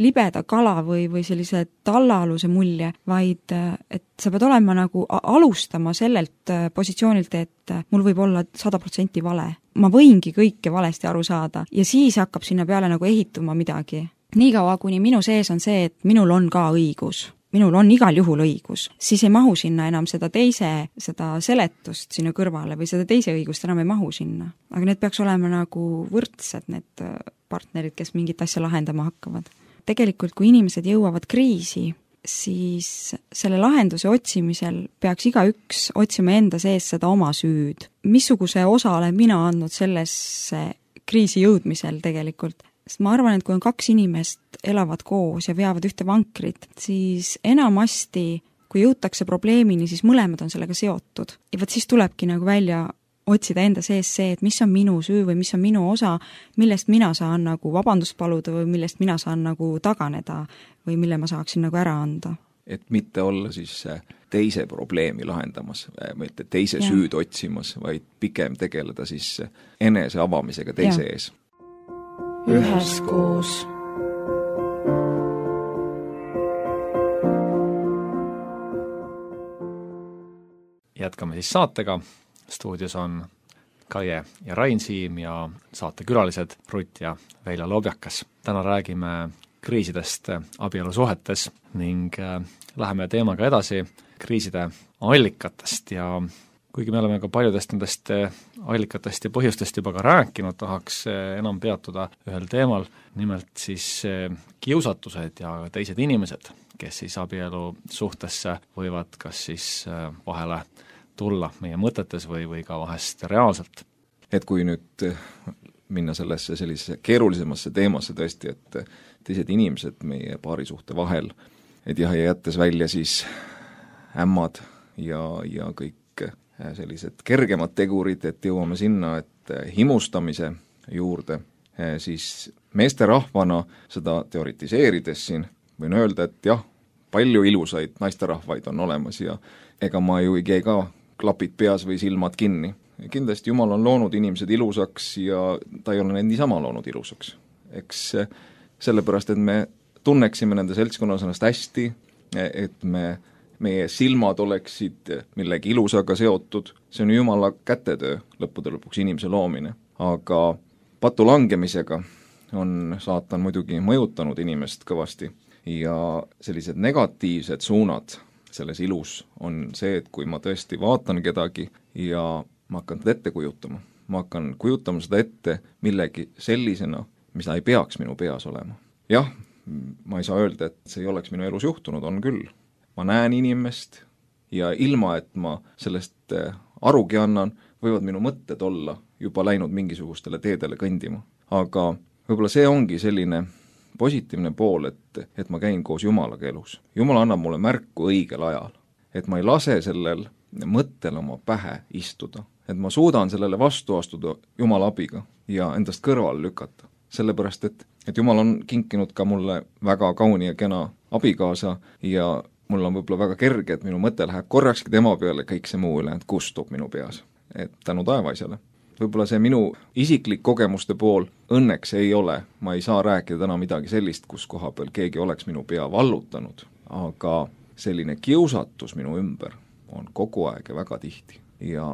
libeda kala või, või sellise tallaaluse mulje, vaid et sa pead olema nagu alustama sellelt positsioonilt, et mul võib olla sada protsenti vale. Ma võingi kõike valesti aru saada ja siis hakkab sinna peale nagu ehituma midagi. Niikaua, kuni minu sees on see, et minul on ka õigus, minul on igal juhul õigus, siis ei mahu sinna enam seda teise, seda seletust sinna kõrvale või seda teise õigust enam ei mahu sinna. Aga need peaks olema nagu võrdsed, need partnerid, kes mingit asja lahendama hakkavad. Tegelikult, kui inimesed jõuavad kriisi, siis selle lahenduse otsimisel peaks igaüks otsima enda sees seda oma süüd. Missuguse osa olen mina andnud sellesse kriisi jõudmisel tegelikult? Sest ma arvan, et kui on kaks inimest elavad koos ja veavad ühte vankrit, siis enamasti, kui jõutakse probleemini, siis mõlemad on sellega seotud. Ja võt siis tulebki nagu välja otsida enda sees see, et mis on minu süü või mis on minu osa, millest mina saan nagu vabandust paluda või millest mina saan nagu taganeda või mille ma saaksin nagu ära anda. Et mitte olla siis teise probleemi lahendamas, mitte teise ja. Süüd otsimas, vaid pigem tegeleda siis enese avamisega teise ja. Ees. Üheskoos. Jätkame siis saatega. Stuudios on Kaie ja Rain Siim ja saatekülalised Rutt ja Velja Lobjakas. Täna räägime kriisidest abielusuhetes ning läheme teemaga edasi kriiside allikatest ja kuigi me oleme ka paljudest nendest allikatest ja põhjustest juba ka rääkinud, tahaks enam peatuda ühel teemal, nimelt siis kiusatused ja teised inimesed, kes siis abielu suhtesse võivad kas siis vahele tulla meie mõtetes või, või ka vahest reaalselt. Et kui nüüd minna sellesse sellisesse keerulisemasse teemasse tõesti, et teised inimesed meie paarisuhte vahel, et jah, ja jättes välja siis ämmad ja, ja kõik sellised kergemad tegurid, et jõuame sinna, et himustamise juurde, siis meesterahvana seda teoritiseerides siin võin öelda, et jah, palju ilusaid naisterahvaid on olemas ja ega ma ju ei käi ka klapid peas või silmad kinni. Kindlasti Jumal on loonud inimesed ilusaks ja ta ei ole neid niisama loonud ilusaks. Eks sellepärast, et me tunneksime nende seltskonnas ennast hästi, et me meie silmad oleksid millegi ilusaga seotud, see on Jumala kätetöö lõppude lõpuks inimese loomine. Aga patu langemisega on saatan muidugi mõjutanud inimest kõvasti ja sellised negatiivsed suunad selles ilus on see, et kui ma tõesti vaatan kedagi ja ma hakkan teda ette kujutama, ma hakkan kujutama seda ette millegi sellisena, mis ei peaks minu peas olema. Jah, ma ei saa öelda, et see ei oleks minu elus juhtunud, on küll. Ma näen inimest ja ilma, et ma sellest arugi annan, võivad minu mõtted olla juba läinud mingisugustele teedele kõndima. Aga võib-olla see ongi selline positiivne pool, et, et ma käin koos Jumalaga elus. Jumal annab mulle märku õigel ajal, et ma ei lase sellel mõttel oma pähe istuda, et ma suudan sellele vastu astuda Jumala abiga ja endast kõrvale lükata. Sellepärast, et, et Jumal on kinkinud ka mulle väga kauni ja kena abikaasa ja mul on võib-olla väga kerge, et minu mõte läheb korrakski tema peale, kõik see muu üle, et kustub minu peas. Et tänu taevaisale. Võib-olla see minu isiklik kogemuste pool õnneks ei ole, ma ei saa rääkida täna midagi sellist, kus koha peal keegi oleks minu pea vallutanud, aga selline kiusatus minu ümber on kogu aeg ja väga tihti. Ja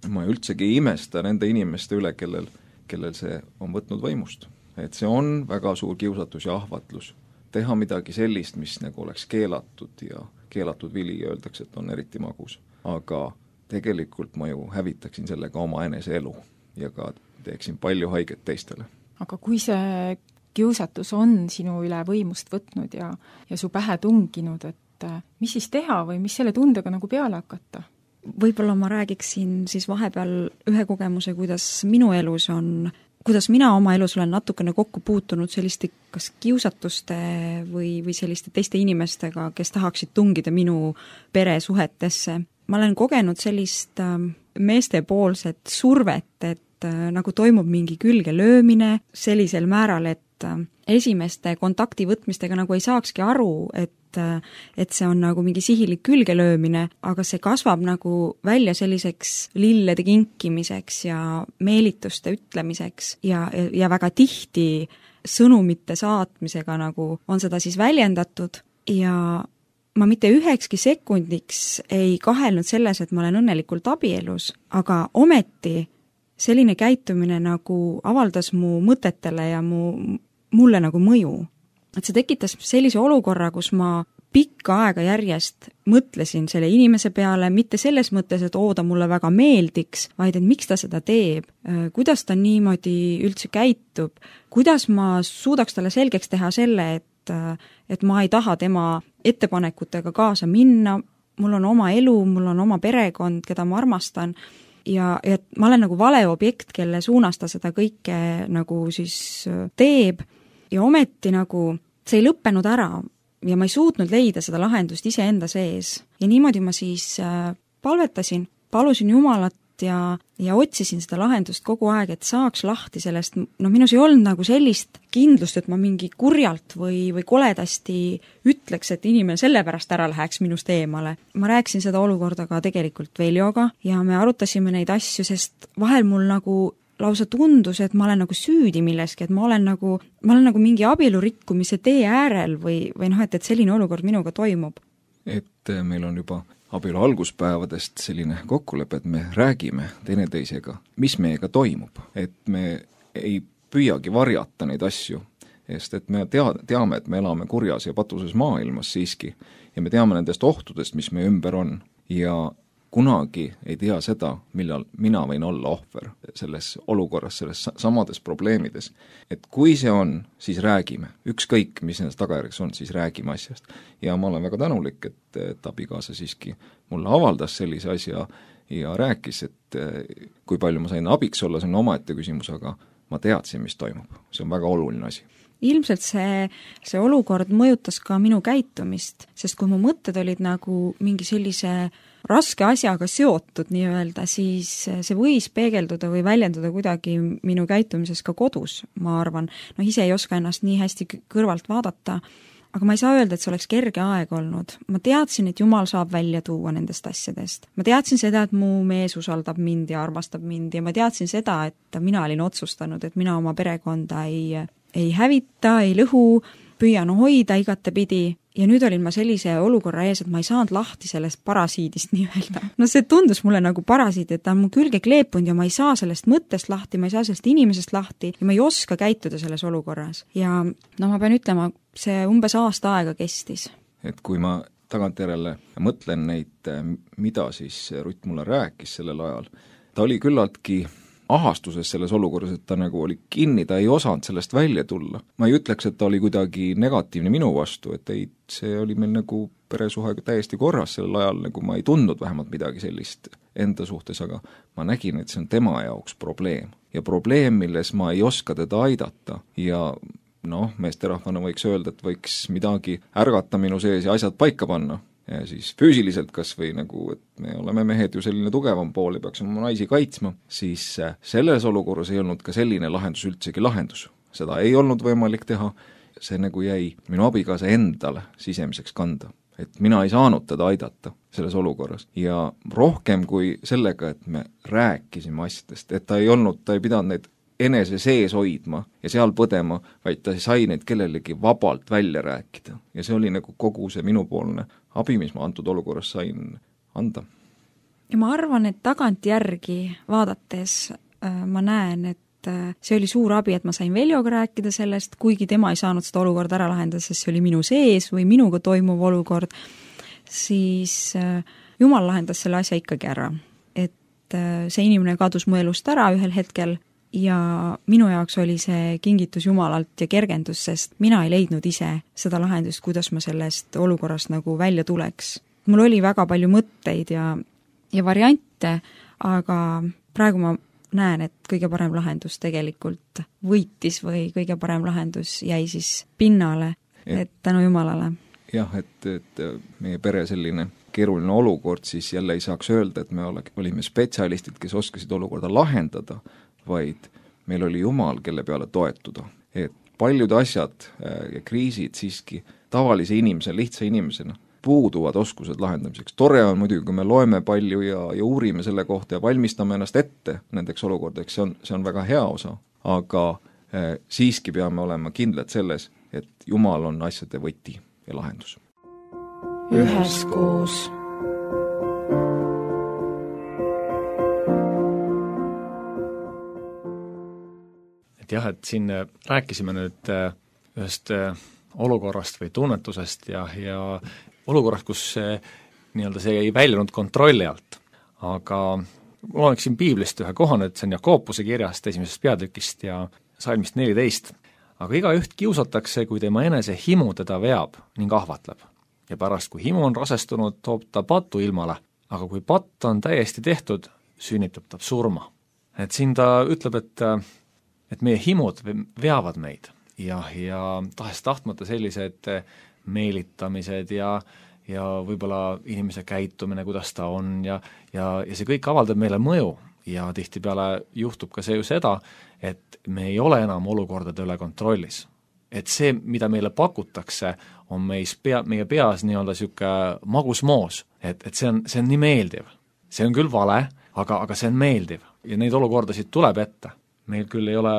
ma üldsegi ei imesta nende inimeste üle, kellel, kellel see on võtnud võimust. Et see on väga suur kiusatus ja ahvatlus. Teha midagi sellist, mis nagu oleks keelatud ja keelatud vili öeldakse, et on eriti magus. Aga tegelikult ma ju hävitaksin sellega oma enese elu ja ka teeksin palju haiget teistele. Aga kui see kiusatus on sinu üle võimust võtnud ja, ja su pähe tunginud, et mis siis teha või mis selle tundega nagu peale hakata? Võib-olla ma räägiksin siis vahepeal ühe kogemuse, kuidas minu elus on kuidas mina oma elus olen natukene kokku puutunud selliste kas kiusatuste või, või selliste teiste inimestega, kes tahaksid tungida minu peresuhetesse. Ma olen kogenud sellist meestepoolset survet, et nagu toimub mingi külge löömine sellisel määral, et esimeste kontakti võtmistega nagu ei saakski aru, et et see on nagu mingi sihilik külgelöömine, aga see kasvab nagu välja selliseks lillede kinkimiseks ja meelituste ütlemiseks ja, ja väga tihti sõnumite saatmisega nagu on seda siis väljendatud ja ma mitte ühekski sekundiks ei kahelnud selles, et ma olen õnnelikult abielus, aga ometi selline käitumine nagu avaldas mu mõtetele ja mu, mulle nagu mõju. Et see tekitas sellise olukorra, kus ma pikka aega järjest mõtlesin selle inimese peale, mitte selles mõttes, et oo, ta mulle väga meeldiks, vaid et miks ta seda teeb, kuidas ta niimoodi üldse käitub, kuidas ma suudaks talle selgeks teha selle, et, et ma ei taha tema ettepanekutega kaasa minna, mul on oma elu, mul on oma perekond, keda ma armastan, ja, ja ma olen nagu vale objekt, kelle suunas ta seda kõike nagu siis teeb, ja ometi nagu see ei lõppenud ära ja ma ei suutnud leida seda lahendust iseenda sees. Ja niimoodi ma siis palvetasin, palusin Jumalat ja, ja otsisin seda lahendust kogu aeg, et saaks lahti sellest, no minus ei olnud nagu sellist kindlust, et ma mingi kurjalt või, või koledasti ütleks, et inimene sellepärast ära läheks minust eemale. Ma rääkisin seda olukorda ka tegelikult Veljoga ja me arutasime neid asju, sest vahel mul nagu lausa tundus, et ma olen nagu süüdi milleski, et ma olen nagu, ma olen nagu mingi abielurikkumise tee äärel või, või noh, et, et selline olukord minuga toimub. Et meil on juba abielu alguspäevadest selline kokkulepe, et me räägime teineteisega, mis meiega toimub, et me ei püüagi varjata neid asju, sest et me tea, teame, et me elame kurjas ja patuses maailmas siiski ja me teame nendest ohtudest, mis meie ümber on ja kunagi ei tea seda, millal mina võin olla ohver selles olukorras, selles samades probleemides. Et kui see on, siis räägime. Ükskõik, mis nendest tagajärjeks on, siis räägime asjast. Ja ma olen väga tänulik, et, et abikaasa siiski mulle avaldas sellise asja ja rääkis, et kui palju ma sain abiks olla, see on omaette küsimus, aga ma teadsin, mis toimub. See on väga oluline asi. Ilmselt see, see olukord mõjutas ka minu käitumist, sest kui mu mõtted olid nagu mingi sellise raske asjaga seotud nii-öelda, siis see võis peegelduda või väljenduda kuidagi minu käitumises ka kodus, ma arvan. No ise ei oska ennast nii hästi kõrvalt vaadata, aga ma ei saa öelda, et see oleks kerge aeg olnud. Ma teadsin, et Jumal saab välja tuua nendest asjadest. Ma teadsin seda, et mu mees usaldab mind ja armastab mind ja ma teadsin seda, et mina olin otsustanud, et mina oma perekonda ei, ei hävita, ei lõhu, püüan hoida igatepidi. Ja nüüd olin ma sellise olukorra ees, et ma ei saanud lahti sellest parasiidist nii-öelda. No see tundus mulle nagu parasiid, et ta on mu külge kleepunud ja ma ei saa sellest mõttest lahti, ma ei saa sellest inimesest lahti ja ma ei oska käituda selles olukorras. Ja no ma pean ütlema, see umbes aasta aega kestis. Et kui ma tagantjärele mõtlen neid, mida siis Rutt mulle rääkis sellel ajal, ta oli küllaltki ahastuses selles olukorras, et ta nagu oli kinni, ta ei osanud sellest välja tulla. Ma ei ütleks, et ta oli kuidagi negatiivne minu vastu, et ei, see oli meil nagu peresuhe täiesti korras sellel ajal, nagu ma ei tundnud vähemalt midagi sellist enda suhtes, aga ma nägin, et see on tema jaoks probleem. Ja probleem, milles ma ei oska teda aidata ja noh, meesterahvana võiks öelda, et võiks midagi ärgata minu sees ja asjad paika panna. Ja siis füüsiliselt kas või nagu, et me oleme mehed ju selline tugevam pool ja peaksime oma naisi kaitsma, siis selles olukorras ei olnud ka selline lahendus üldsegi lahendus. Seda ei olnud võimalik teha, see nagu jäi minu abikaasa endale sisemiseks kanda. Et mina ei saanud teda aidata selles olukorras ja rohkem kui sellega, et me rääkisime asjadest, et ta ei olnud, ta ei pidanud neid enese sees hoidma ja seal põdema, vaid ta sai neid kellelegi vabalt välja rääkida. Ja see oli nagu kogu see minupoolne abi, mis ma antud olukorras sain anda. Ja ma arvan, et tagantjärgi vaadates äh, ma näen, et äh, see oli suur abi, et ma sain Veljoga rääkida sellest, kuigi tema ei saanud seda olukorda ära lahendada, sest see oli minu sees või minuga toimuv olukord, siis äh, Jumal lahendas selle asja ikkagi ära. Et äh, see inimene kadus mu elust ära ühel hetkel ja minu jaoks oli see kingitus Jumalalt ja kergendus, sest mina ei leidnud ise seda lahendust, kuidas ma sellest olukorrast nagu välja tuleks. Mul oli väga palju mõtteid ja, ja variante, aga praegu ma näen, et kõige parem lahendus tegelikult võitis või kõige parem lahendus jäi siis pinnale, et tänu Jumalale. Jah, et, et meie pere selline keeruline olukord, siis jälle ei saaks öelda, et me ole, olime spetsialistid, kes oskasid olukorda lahendada, vaid meil oli Jumal, kelle peale toetuda. Et paljud asjad ja kriisid siiski tavalise inimese, lihtsa inimesena puuduvad oskused lahendamiseks. Tore on muidugi, kui me loeme palju ja, ja uurime selle kohta ja valmistame ennast ette nendeks olukordadeks, see on, see on väga hea osa, aga eh, siiski peame olema kindlad selles, et Jumal on asjade võti ja lahendus. Üheskoos. Et jah, et siin rääkisime nüüd ühest olukorrast või tunnetusest ja, ja olukorrast, kus see, nii-öelda see ei väljunud kontrolli alt. Aga loeksin piiblist ühe kohane, et see on Jakobuse kirjast esimesest peatükist ja salmist neliteist. Aga igaüht kiusatakse, kui tema enese himu teda veab ning ahvatleb. Ja pärast, kui himu on rasestunud, toob ta patu ilmale, aga kui patt on täiesti tehtud, sünnitab ta surma. Et siin ta ütleb, et, et meie himud veavad meid ja, ja tahes tahtmata sellised meelitamised ja, ja võib-olla inimese käitumine, kuidas ta on ja, ja, ja see kõik avaldab meile mõju ja tihtipeale juhtub ka see ju seda, et me ei ole enam olukordade üle kontrollis. Et see, mida meile pakutakse, on meis pea, meie peas nii-öelda siuke magusmoos, et, et see on, see on nii meeldiv. See on küll vale, aga, aga see on meeldiv ja neid olukordasid tuleb ette. Meil küll ei ole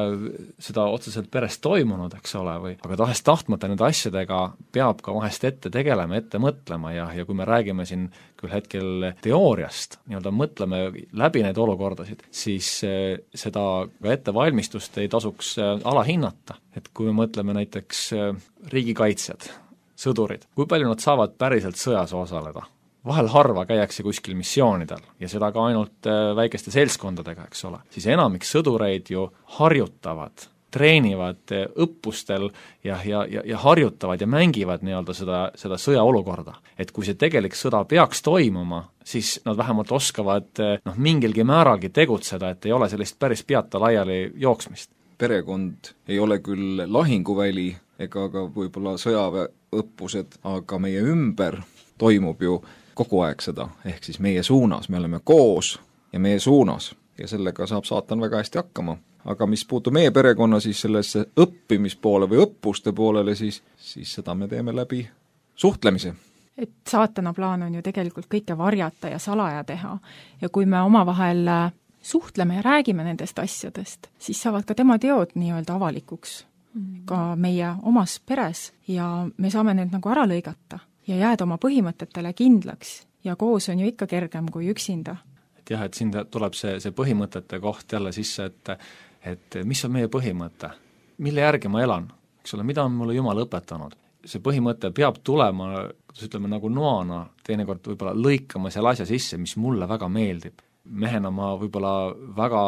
seda otseselt peres toimunud, eks ole, või, aga tahes tahtmata nende asjadega peab ka vahest ette tegelema, ette mõtlema ja, ja kui me räägime siin küll hetkel teooriast, nii-öelda mõtleme läbi neid olukordasid, siis eh, seda ka ettevalmistust ei tasuks eh, alahinnata. Et kui me mõtleme näiteks eh, riigikaitsjad, sõdurid, kui palju nad saavad päriselt sõjas osaleda? Vahel harva käiakse kuskil missioonidel ja seda ka ainult väikeste seltskondadega, eks ole. Siis enamik sõdureid ju harjutavad, treenivad õppustel ja, ja, ja, ja harjutavad ja mängivad nii-öelda seda, seda sõjaolukorda. Et kui see tegelik sõda peaks toimuma, siis nad vähemalt oskavad noh, mingilgi määralgi tegutseda, et ei ole sellist päris peata laiali jooksmist. Perekond ei ole küll lahinguväli ega ka võib-olla sõjaväeõppused, aga meie ümber toimub ju kogu aeg seda, ehk siis meie suunas, me oleme koos ja meie suunas ja sellega saab saatan väga hästi hakkama. Aga mis puutub meie perekonna siis sellesse õppimispoole või õppuste poolele, siis, siis seda me teeme läbi suhtlemise. Et saatana plaan on ju tegelikult kõike varjata ja salaja teha ja kui me omavahel suhtleme ja räägime nendest asjadest, siis saavad ka tema teod nii-öelda avalikuks mm. ka meie omas peres ja me saame need nagu ära lõigata ja jääda oma põhimõtetele kindlaks ja koos on ju ikka kergem kui üksinda. Et jah, et siin tuleb see, see põhimõtete koht jälle sisse, et, et mis on meie põhimõte, mille järgi ma elan, eks ole, mida on mulle Jumal õpetanud. See põhimõte peab tulema, kuidas ütleme, nagu noana, teinekord võib-olla lõikama selle asja sisse, mis mulle väga meeldib. Mehena ma võib-olla väga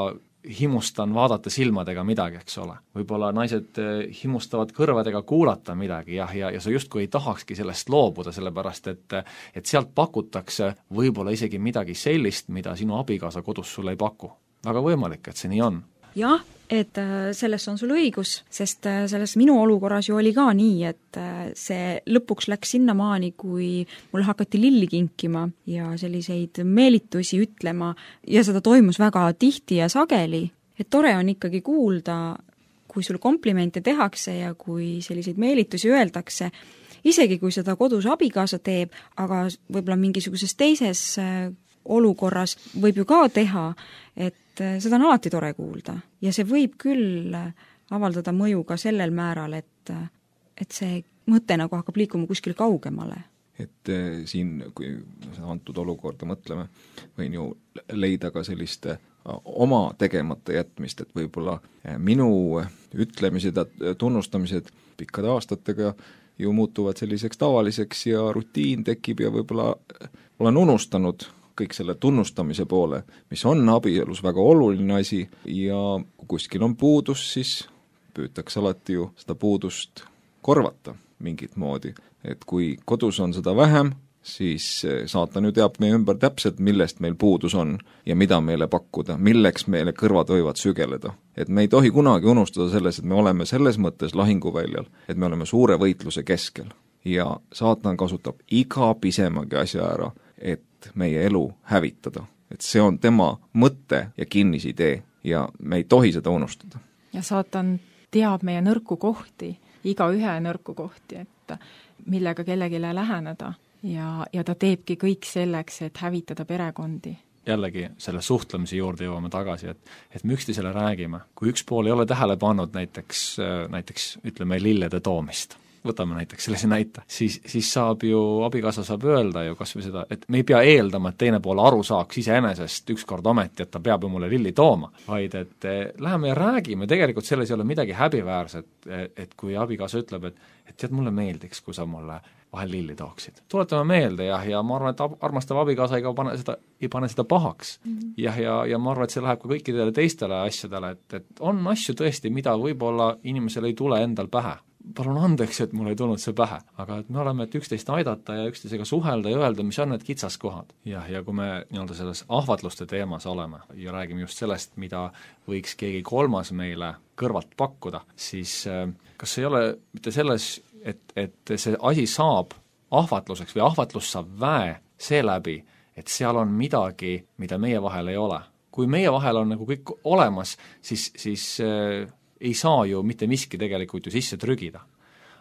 himustan vaadata silmadega midagi, eks ole. Võib-olla naised himustavad kõrvadega kuulata midagi jah, ja, ja sa justkui ei tahakski sellest loobuda, sellepärast et, et sealt pakutakse võib-olla isegi midagi sellist, mida sinu abikaasa kodus sulle ei paku. Väga võimalik, et see nii on. Jah, et selles on sul õigus, sest selles minu olukorras ju oli ka nii, et see lõpuks läks sinnamaani, kui mulle hakati lilli kinkima ja selliseid meelitusi ütlema ja seda toimus väga tihti ja sageli. Et tore on ikkagi kuulda, kui sul komplimente tehakse ja kui selliseid meelitusi öeldakse, isegi kui seda kodus abikaasa teeb, aga võib-olla mingisuguses teises olukorras võib ju ka teha, et seda on alati tore kuulda ja see võib küll avaldada mõju ka sellel määral, et, et see mõte nagu hakkab liikuma kuskil kaugemale. Et siin, kui antud olukorda mõtleme, võin ju leida ka sellist oma tegemata jätmist, et võib-olla minu ütlemised ja tunnustamised pikkade aastatega ju muutuvad selliseks tavaliseks ja rutiin tekib ja võib-olla olen unustanud kõik selle tunnustamise poole, mis on abielus väga oluline asi ja kui kuskil on puudus, siis püütakse alati ju seda puudust korvata mingit moodi. Et kui kodus on seda vähem, siis saatan ju teab meie ümber täpselt, millest meil puudus on ja mida meile pakkuda, milleks meile kõrvad võivad sügeleda. Et me ei tohi kunagi unustada selles, et me oleme selles mõttes lahinguväljal, et me oleme suure võitluse keskel ja saatan kasutab iga pisemagi asja ära, et meie elu hävitada. Et see on tema mõte ja kinnisidee ja me ei tohi seda unustada. Ja saatan teab meie nõrku kohti, iga ühe nõrku kohti, et millega kellegile läheneda ja, ja ta teebki kõik selleks, et hävitada perekondi. Jällegi selle suhtlemise juurde jõuame tagasi, et, et me üksteisele räägime. Kui üks pool ei ole tähele pannud näiteks, näiteks ütleme lillede toomist, võtame näiteks sellise näite, siis, siis saab ju, abikaasa saab öelda ju kas või seda, et me ei pea eeldama, et teine pool aru saaks iseenesest ükskord ometi, et ta peab ju mulle lilli tooma, vaid et eh, läheme ja räägime, tegelikult selles ei ole midagi häbiväärset, et kui abikaasa ütleb, et, et tead, mulle meeldiks, kui sa mulle vahel lilli tooksid. Tuletame meelde jah, ja ma arvan, et armastav abikaasa ei pane seda, ei pane seda pahaks. Mm-hmm. jah, ja, ja ma arvan, et see läheb ka kõikidele teistele asjadele, et, et on asju tõesti, mida võib-olla inimesel ei tule endal pähe. Palun andeks, et mul ei tulnud see pähe, aga et me oleme, et üksteist aidata ja üksteisega suhelda ja öelda, mis on need kitsaskohad. jah, ja kui me nii-öelda selles ahvatluste teemas oleme ja räägime just sellest, mida võiks keegi kolmas meile kõrvalt pakkuda, siis kas ei ole mitte selles, et, et see asi saab ahvatluseks või ahvatlus saab väe seeläbi, et seal on midagi, mida meie vahel ei ole. Kui meie vahel on nagu kõik olemas, siis, siis ei saa ju mitte miski tegelikult ju sisse trügida.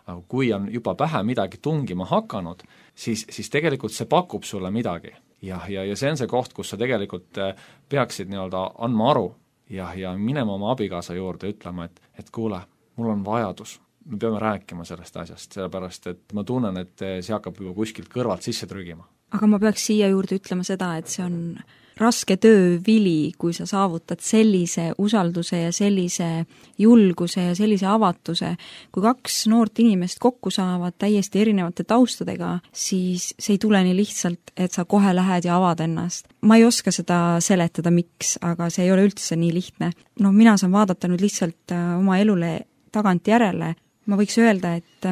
Aga kui on juba pähe midagi tungima hakanud, siis, siis tegelikult see pakub sulle midagi. Ja, ja, ja see on see koht, kus sa tegelikult peaksid nii-öelda andma aru ja, ja minema oma abikaasa juurde ütlema, et, et kuule, mul on vajadus, me peame rääkima sellest asjast, sellepärast et ma tunnen, et see hakkab juba kuskilt kõrvalt sisse trügima. Aga ma peaks siia juurde ütlema seda, et see on raske töö vili, kui sa saavutad sellise usalduse ja sellise julguse ja sellise avatuse. Kui kaks noort inimest kokku saavad täiesti erinevate taustadega, siis see ei tule nii lihtsalt, et sa kohe lähed ja avad ennast. Ma ei oska seda seletada, miks, aga see ei ole üldse nii lihtne. No mina saan vaadata nüüd lihtsalt oma elule tagant järele. Ma võiks öelda, et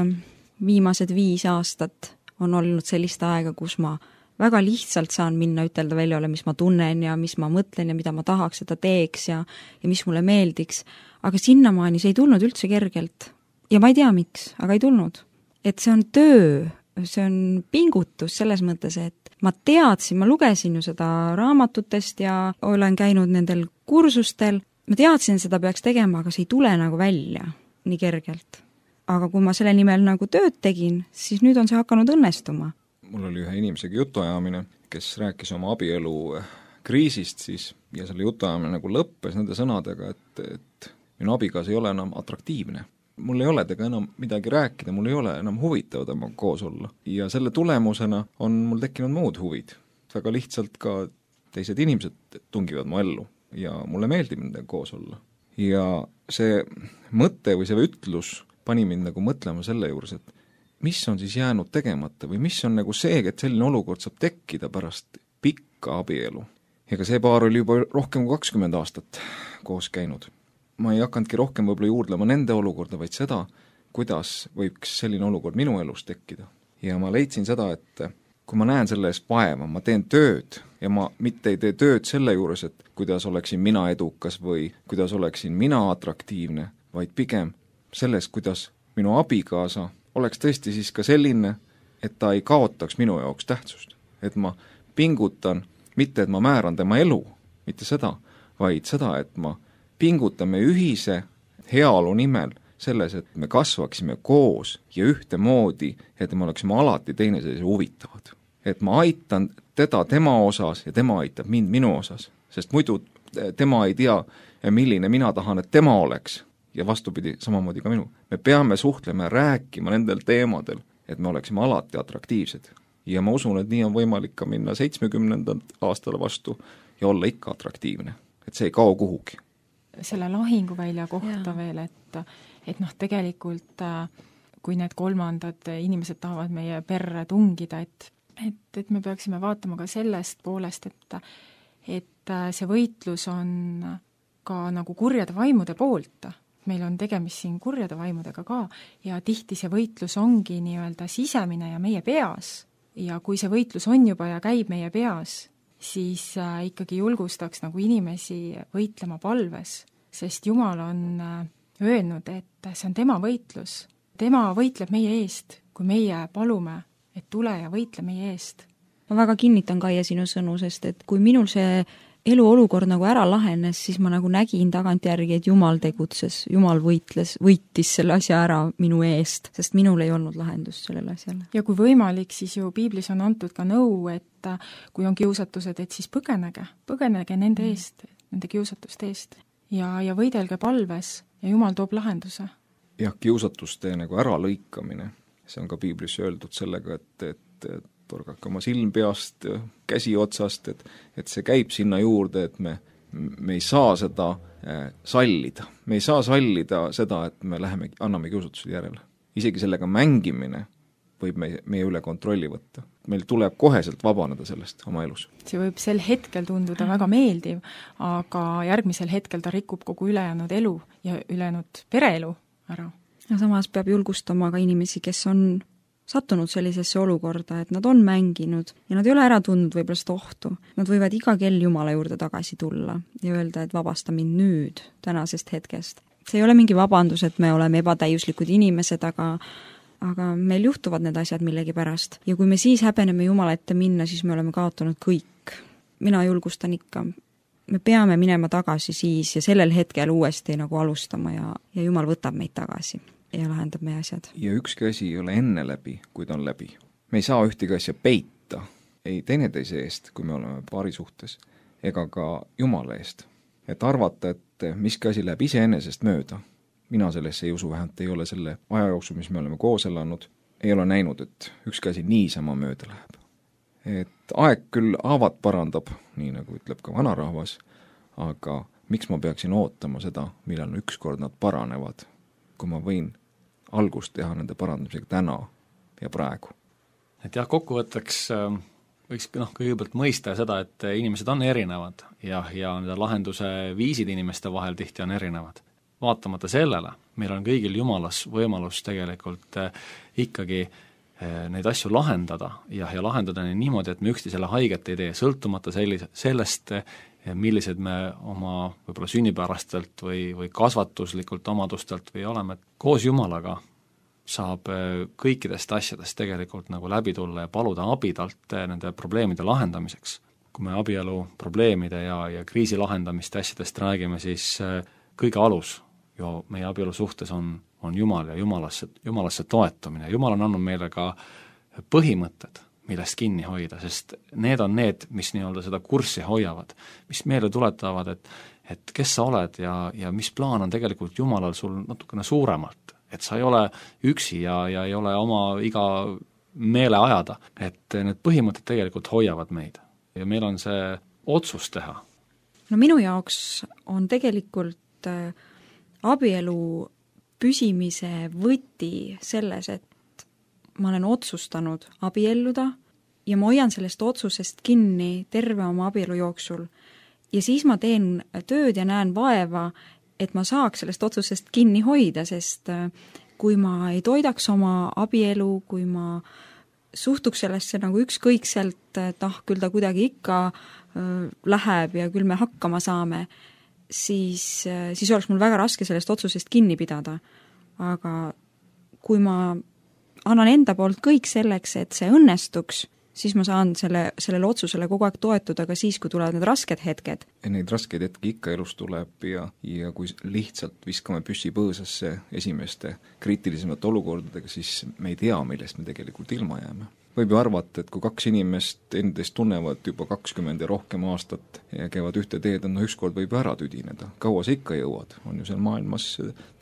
viimased viis aastat on olnud sellist aega, kus ma väga lihtsalt saan minna ütelda väljale, mis ma tunnen ja mis ma mõtlen ja mida ma tahaks, et ta teeks ja, ja mis mulle meeldiks. Aga sinnamaani see ei tulnud üldse kergelt. Ja ma ei tea miks, aga ei tulnud. Et see on töö, see on pingutus selles mõttes, et ma teadsin, ma lugesin ju seda raamatutest ja olen käinud nendel kursustel. Ma teadsin, seda peaks tegema, aga see ei tule nagu välja nii kergelt. Aga kui ma selle nimel nagu tööd tegin, siis nüüd on see hakanud õnnestuma. Mul oli ühe inimesega jutuajamine, kes rääkis oma abielu kriisist siis ja selle jutuajamine nagu lõppes nende sõnadega, et, et minu abikaas ei ole enam atraktiivne. Mul ei ole tega enam midagi rääkida, mul ei ole enam huvitav temaga koos olla. Ja selle tulemusena on mul tekkinud muud huvid. Väga lihtsalt ka teised inimesed tungivad mu ellu ja mulle meeldib nendega koos olla. Ja see mõte või see ütlus pani mind nagu mõtlema selle juures, et mis on siis jäänud tegemata või mis on nagu see, et selline olukord saab tekkida pärast pikka abielu. Ega see paar oli juba rohkem kui kakskümmend aastat koos käinud. Ma ei hakanudki rohkem võib-olla juurdlema nende olukorda, vaid seda, kuidas võiks selline olukord minu elus tekkida. Ja ma leidsin seda, et kui ma näen selle eest vaeva, ma teen tööd ja ma mitte ei tee tööd selle juures, et kuidas oleksin mina edukas või kuidas oleksin mina atraktiivne, vaid pigem selles, kuidas minu abikaasa oleks tõesti siis ka selline, et ta ei kaotaks minu jaoks tähtsust. Et ma pingutan, mitte et ma määran tema elu, mitte seda, vaid seda, et ma pingutame ühise heaolu nimel selles, et me kasvaksime koos ja ühtemoodi, et me oleksime alati teineteise huvitavad. Et ma aitan teda tema osas ja tema aitab mind minu osas, sest muidu tema ei tea, milline mina tahan, et tema oleks. Ja vastupidi, samamoodi ka minu. Me peame suhtlema ja rääkima nendel teemadel, et me oleksime alati atraktiivsed. Ja ma usun, et nii on võimalik ka minna seitsmekümnendal aastale vastu ja olla ikka atraktiivne. Et see ei kao kuhugi. Selle lahinguvälja kohta ja. Veel, et, et noh, tegelikult kui need kolmandad inimesed tahavad meie perre tungida, et, et, et me peaksime vaatama ka sellest poolest, et, et see võitlus on ka nagu kurjade vaimude poolt. Meil on tegemist siin kurjade vaimudega ka ja tihti see võitlus ongi nii-öelda sisemine ja meie peas. ja kui see võitlus on juba ja käib meie peas, siis ikkagi julgustaks nagu inimesi võitlema palves, sest Jumal on öelnud, et see on tema võitlus. Tema võitleb meie eest, kui meie palume, et tule ja võitle meie eest. Ma väga kinnitan, Kaie, sinu sõnu, sest et kui minul see eluolukord nagu ära lahenes, siis ma nagu nägin tagantjärgi, et Jumal tegutses, Jumal võitles, võitis selle asja ära minu eest, sest minul ei olnud lahendust sellele asjale. Ja kui võimalik, siis ju piiblis on antud ka nõu, et kui on kiusatused, et siis põgenege, põgenege nende eest, nende kiusatuste eest ja, ja võidelge palves ja Jumal toob lahenduse. Jah, kiusatuste nagu äralõikamine, see on ka piiblis öeldud sellega, et, et, et torgake oma silm peast, käsi otsast, et, et see käib sinna juurde, et me, me ei saa seda äh, sallida. Me ei saa sallida seda, et me läheme, anname kiusatused järele. Isegi sellega mängimine võib meie, meie üle kontrolli võtta. Meil tuleb koheselt vabaneda sellest oma elus. See võib sel hetkel tunduda väga meeldiv, aga järgmisel hetkel ta rikub kogu ülejäänud elu ja ülejäänud pereelu ära. Ja samas peab julgustama ka inimesi, kes on sattunud sellisesse olukorda, et nad on mänginud ja nad ei ole ära tundnud võib-olla seda ohtu. Nad võivad iga kell Jumala juurde tagasi tulla ja öelda, et vabasta mind nüüd, tänasest hetkest. See ei ole mingi vabandus, et me oleme ebatäiuslikud inimesed, aga, aga meil juhtuvad need asjad millegi pärast. Ja kui me siis häbeneme Jumala ette minna, siis me oleme kaotanud kõik. Mina julgustan ikka. Me peame minema tagasi siis ja sellel hetkel uuesti nagu alustama ja, ja Jumal võtab meid tagasi ja lahendab meie asjad. Ja ükski asi ei ole enne läbi, kui ta on läbi. Me ei saa ühtegi asja peita, ei teineteise eest, kui me oleme paari suhtes, ega ka Jumala eest. Et arvata, et miski asi läheb iseenesest mööda. Mina sellesse ei usu, vähemalt ei ole selle aja jooksul, mis me oleme koos elanud, ei ole näinud, et ükski asi niisama mööda läheb. Et aeg küll haavad parandab, nii nagu ütleb ka vanarahvas, aga miks ma peaksin ootama seda, millal ükskord nad paranevad, kui ma võin algust teha nende parandamisega täna ja praegu. Et jah, kokkuvõtteks võiks noh, kõigepealt mõista seda, et inimesed on erinevad ja, ja nende lahenduse viisid inimeste vahel tihti on erinevad. Vaatamata sellele, meil on kõigil Jumalas võimalus tegelikult ikkagi neid asju lahendada ja, ja lahendada niimoodi, et me üksteisele haiget ei tee, sõltumata sellise, sellest, millised me oma võib-olla sünnipärastelt või, või kasvatuslikult omadustelt või oleme. Koos Jumalaga saab kõikidest asjadest tegelikult nagu läbi tulla ja paluda abi talt nende probleemide lahendamiseks. Kui me abielu probleemide ja, ja kriisi lahendamist asjadest räägime, siis kõige alus ju meie abielu suhtes on, on Jumal ja Jumalasse, Jumalasse toetumine. Jumal on andnud meile ka põhimõtted, millest kinni hoida, sest need on need, mis nii-öelda seda kurssi hoiavad, mis meile tuletavad, et, et kes sa oled ja, ja mis plaan on tegelikult Jumalal sul natukene suuremalt, et sa ei ole üksi ja, ja ei ole oma iga meele ajada, et need põhimõtted tegelikult hoiavad meid ja meil on see otsus teha. No minu jaoks on tegelikult äh, abielu püsimise võti selles, et ma olen otsustanud abielluda ja ma hoian sellest otsusest kinni terve oma abielu jooksul. Ja siis ma teen tööd ja näen vaeva, et ma saaks sellest otsusest kinni hoida, sest kui ma ei toidaks oma abielu, kui ma suhtuks sellesse nagu ükskõikselt, et ah, küll ta kuidagi ikka äh, läheb ja küll me hakkama saame, siis, äh, siis oleks mul väga raske sellest otsusest kinni pidada. Aga kui ma annan enda poolt kõik selleks, et see õnnestuks, siis ma saan selle, sellele otsusele kogu aeg toetuda ka siis, kui tulevad need rasked hetked. Neid raskeid hetki ikka elus tuleb ja, ja kui lihtsalt viskame püssi põõsasse esimeste kriitilisemate olukordadega, siis me ei tea, millest me tegelikult ilma jääme. Võib ju arvata, et kui kaks inimest endist tunnevad juba kakskümmend ja rohkem aastat ja käivad ühte teed, no ükskord võib ära tüdineda. Kaua sa ikka jõuad? On ju seal maailmas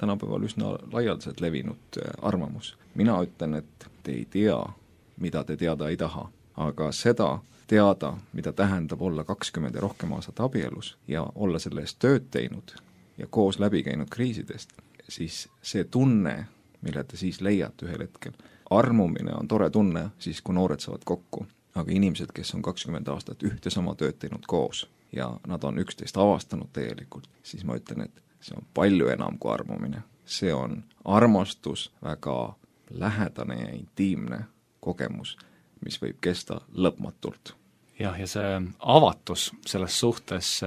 tänapäeval üsna laialdaselt levinud arvamus. Mina ütlen, et te ei tea, mida te teada ei taha, aga seda teada, mida tähendab olla kakskümmend ja rohkem aastat abielus ja olla selle eest tööd teinud ja koos läbi käinud kriisidest, siis see tunne, mille te siis leiate ühel hetkel, armumine on tore tunne siis, kui noored saavad kokku, aga inimesed, kes on kakskümmend aastat ühte sama tööd teinud koos ja nad on üksteist avastanud täielikult, siis ma ütlen, et see on palju enam kui armumine. See on armastus, väga lähedane ja intiimne kogemus, mis võib kesta lõpmatult. jah, ja see avatus selles suhtes,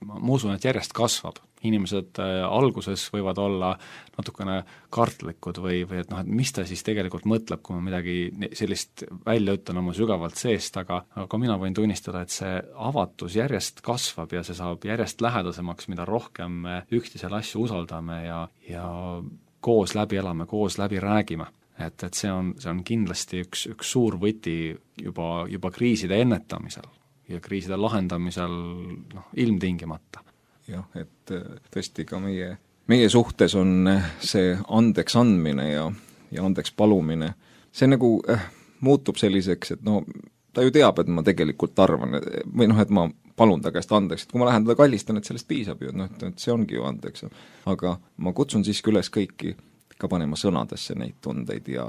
ma usun, et järjest kasvab. Inimesed alguses võivad olla natukene kartlikud või, või et noh, et mis ta siis tegelikult mõtleb, kui ma midagi sellist välja ütlen oma sügavalt seest, aga, aga mina võin tunnistada, et see avatus järjest kasvab ja see saab järjest lähedasemaks, mida rohkem me üksteisele asju usaldame ja, ja koos läbi elame, koos läbi räägime. Et, et see on, see on kindlasti üks, üks suur võti juba, juba kriiside ennetamisel ja kriiside lahendamisel noh, ilmtingimata. jah, et tõesti ka meie, meie suhtes on see andeks andmine ja, ja andeks palumine, see nagu äh, muutub selliseks, et no ta ju teab, et ma tegelikult arvan, või noh, et ma palun ta käest andeks, et kui ma lähen teda kallistan, et sellest piisab ju, et noh, et see ongi ju andeks. Aga ma kutsun siiski üles kõiki ka panema sõnadesse neid tundeid ja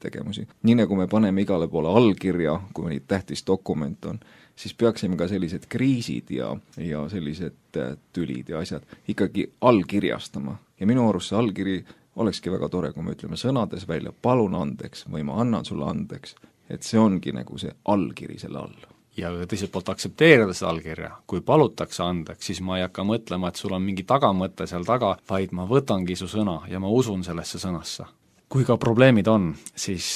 tegemusi. Nii nagu me paneme igale poole allkirja, kui neid tähtis dokument on, siis peaksime ka sellised kriisid ja, ja sellised tülid ja asjad ikkagi allkirjastama. Ja minu arust see allkiri olekski väga tore, kui me ütleme sõnades välja, palun andeks või ma annan sulle andeks, et see ongi nagu see allkiri selle all. Ja teiselt poolt aktsepteerida seda allkirja, kui palutakse andeks, siis ma ei hakka mõtlema, et sul on mingi tagamõte seal taga, vaid ma võtangi su sõna ja ma usun sellesse sõnasse. Kui ka probleemid on, siis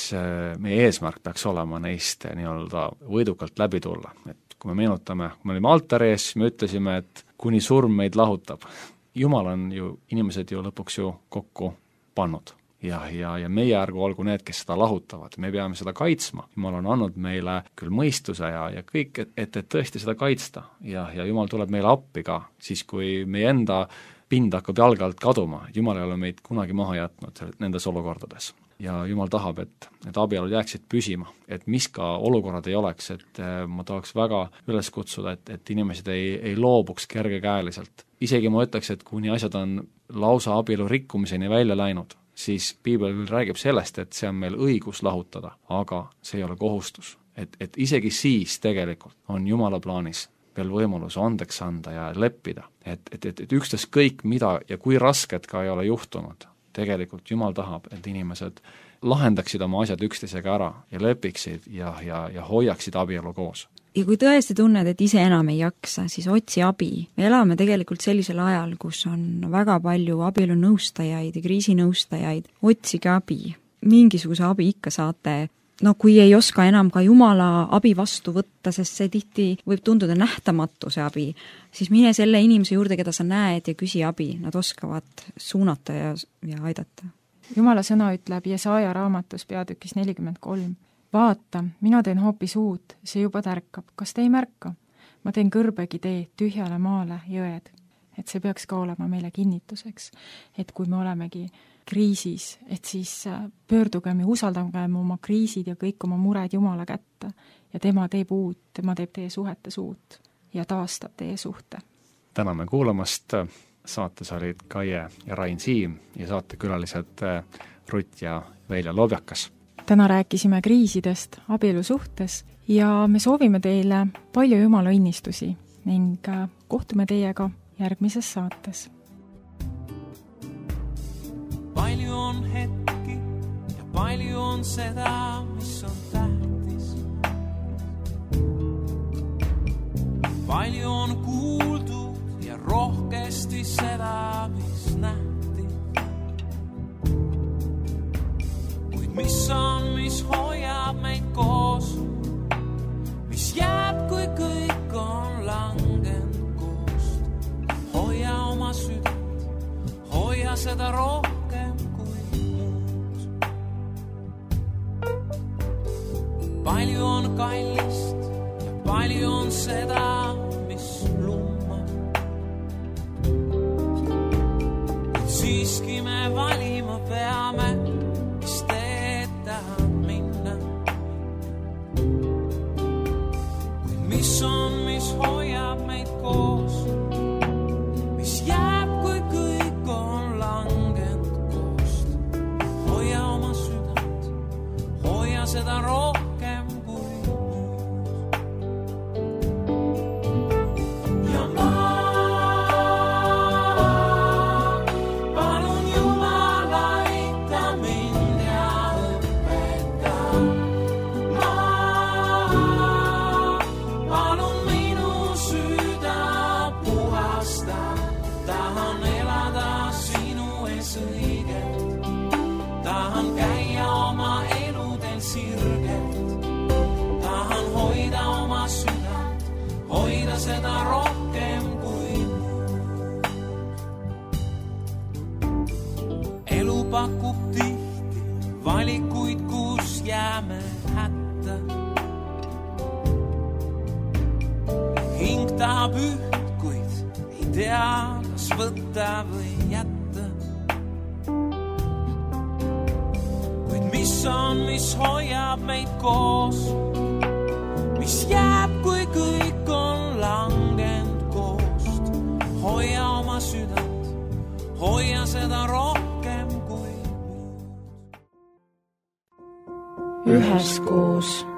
meie eesmärk peaks olema neist nii-öelda võidukalt läbi tulla. Et kui me meenutame, kui me olime altari ees, me ütlesime, et kuni surm meid lahutab. Jumal on ju, inimesed ju lõpuks ju kokku pannud. Ja, ja, ja meie ärgu olgu need, kes seda lahutavad, me peame seda kaitsma. Jumal on andnud meile küll mõistuse ja, ja kõik, et, et, et tõesti seda kaitsta ja, ja Jumal tuleb meile appi ka, siis kui meie enda pind hakkab jalge alt kaduma, Jumal ei ole meid kunagi maha jätnud nendes olukordades. Ja Jumal tahab, et need abielud jääksid püsima, et mis ka olukorrad ei oleks, et ma tahaks väga üles kutsuda, et, et inimesed ei, ei loobuks kergekäeliselt. Isegi ma ütleks, et kuni asjad on lausa abielu rikkumiseni välja läinud, siis Piibel küll räägib sellest, et see on meil õigus lahutada, aga see ei ole kohustus. Et, et isegi siis tegelikult on Jumala plaanis veel võimalus andeks anda ja leppida. Et, et, et, et ükstas kõik, mida ja kui rasket ka ei ole juhtunud, tegelikult Jumal tahab, et inimesed lahendaksid oma asjad üksteisega ära ja lepiksid ja, ja, ja hoiaksid abielu koos. Ja kui tõesti tunned, et ise enam ei jaksa, siis otsi abi. Me elame tegelikult sellisel ajal, kus on väga palju abielunõustajaid ja kriisinõustajaid. Otsige abi. Mingisuguse abi ikka saate. No kui ei oska enam ka Jumala abi vastu võtta, sest see tihti võib tunduda nähtamatu see abi, siis mine selle inimese juurde, keda sa näed ja küsi abi. Nad oskavad suunata ja, ja aidata. Jumala sõna ütleb Jesaja raamatus peatükis nelikümmend kolm. Vaata, mina teen hoopis uut, see juba tärkab. Kas te ei märka? Ma teen kõrbegi tee tühjale maale jõed. Et see peaks ka olema meile kinnituseks, et kui me olemegi kriisis, et siis pöördugem ja usaldagem oma kriisid ja kõik oma mured Jumala kätte ja tema teeb uut, tema teeb teie suhetes uut ja taastab teie suhte. Täname kuulamast, saates olid Kaie ja Rain Siim ja saatekülalised Rutt ja Velja Lobjakas. Täna rääkisime kriisidest abielu suhtes ja me soovime teile palju Jumala õnnistusi ning kohtume teiega järgmises saates. Palju on hetki ja palju on seda, mis on tähtis. Palju on kuuldud ja rohkesti seda, mis nähti. Mis on, mis hoiab meid koos, mis jääb, kui kõik on langenud koost. Hoia oma südant, hoia seda rohkem kui muud. Palju on kallist ja palju on seda, mis lummab. Et siiski me valima peame, mis on, mis hoiab meid koos, mis jääb, kui kõik on langenud koost. Hoia oma südant, hoia seda rohkem kui muud. Ja ma palun Jumala aita mind ja õpeta. Ma jääme hätta. Hing tahab üht, kuid ei tea, kas võtta või jätta. Kuid mis on, mis hoiab meid koos, mis jääb, kui kõik on langend koost. Hoia oma südant, hoia seda rohkem kui üheskoos.